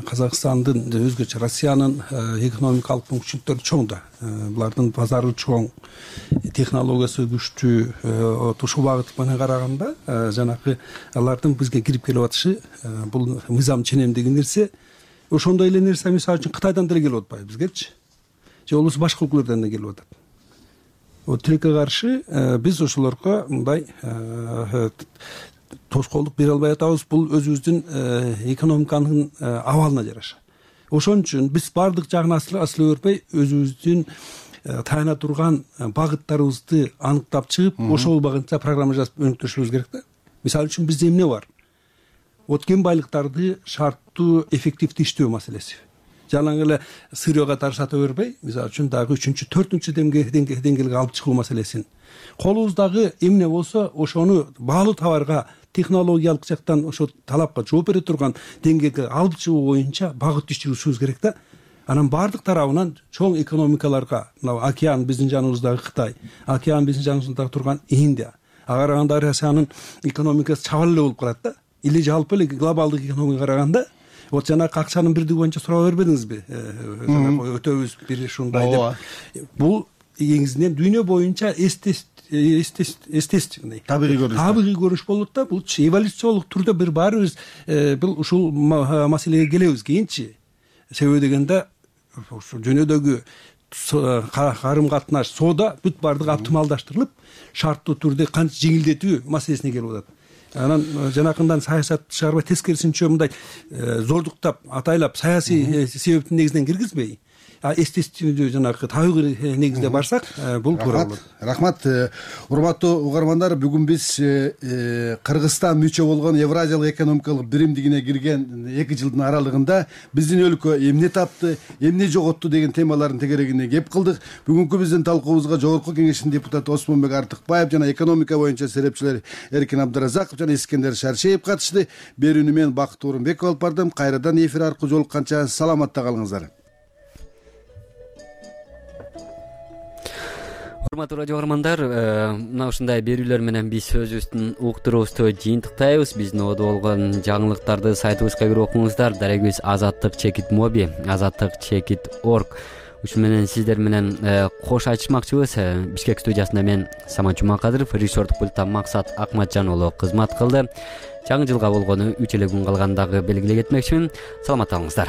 Казакстандын, өзгөчө Россиянын экономикалык мүмкүнчүлүктөрү чоң да. Булардын базары чоң, технологиясы күчтүү. Ушул багыт менен караганда, жанакы алардын бизге кирип келип атышы бул мыйзам ченемдеги нерсе. Ошондой эле нерсе мисалы үчүн Кытайдан деле келип атпайбы бизгечи? Же болбосо башка өлкөлөрдөн да келип атат. Тилекке каршы биз ошолорго мындай тоскоолдук бере албай атабыз. Бул өзүбүздүн экономиканын абалына жараша. Ошон үчүн биз баардык жагын аслай бербей, өзүбүздүн таяна турган багыттарыбызды аныктап чыгып, ошол багытта программа жазып өнүктүрүшүбүз керек да. Мисалы үчүн бизде эмне бар? Кен байлыктарды шарттуу, эффективдүү иштөө маселеси. Жалаң эле сырьёга сата бербей, мисалы үчүн дагы 3-чү, 4-чү деңгээлге алып чыгуу маселесин. Колубуздагы эмне болсо, ошону баалуу товарга технологиялык жактан ошо талапка жооп бере турган деңгээлге алып чыгуу боюнча багыт иш жүргүзүшүбүз керек да. Анан баардык тарабынан чоң экономикаларга, мына океан биздин жаныбыздагы Кытай, океан биздин жаныбызда турган Индия, ага караганда Россиянын экономикасы чабал эле болуп калат да. Или жалпы эле глобалдык экономикага караганда, вот жанагы акчанын бирдиги боюнча сурап бербедиңизби? Өтөбүз бир ушундай деп. Бул негизинен дүйнө боюнча естественный табигый көрүнүш болот да. Бул эволюциялык түрдө бир баарыбыз бул ушул маселеге келебиз кийинчи. Себеби дегенде ушу дүйнөдөгү карым катнаш, соода бүт баардыгы оптималдаштырылып, шарттуу түрдө канча жеңилдетүү маселесине келип атат. анан жанакындан саясат чыгарбай тескерисинче мындай зордуктап атайлап саясий себептин негизинен киргизбей эстестүүдүү жанагы табигый негизде барсак бул туура болот. Рахмат. Урматтуу угармандар, бүгүн биз Кыргызстан мүчө болгон Евразиялык экономикалык биримдигине кирген 2 жылдын аралыгында биздин өлкө эмне тапты, эмне жоготту деген темалардын тегерегине кеп кылдык. Бүгүнкү биздин талкуубузга Жогорку Кеңештин депутаты Осмонбек Артыкбаев жана экономика боюнча серепчилер Эркин Абдыразаков жана Искендер Шаршеев катышты. Берүүнү мен Бакыт Орунбеков алып бардым. Кайрадан эфир аркылуу жолукканча саламатта калыңыздар. Урматтуу радио угармандар, мына ушундай берүүлөр менен биз өзүбүздүн уктуруубузду жыйынтыктайбыз. Биздин ободо болгон жаңылыктарды сайтыбызга кирип окуңуздар. Дарегибиз azattik.mobi, azattik.org. Ушун менен сиздер менен кош айтышмакчыбыз. Бишкек студиясында мен Самат Жумакадыров, режиссердук пультта Максат Акматжан уулу кызмат кылды. Жаңы жылга болгону 3 эле күн калгандагы белгилей кетмекчимин. Саламатта болуңуздар.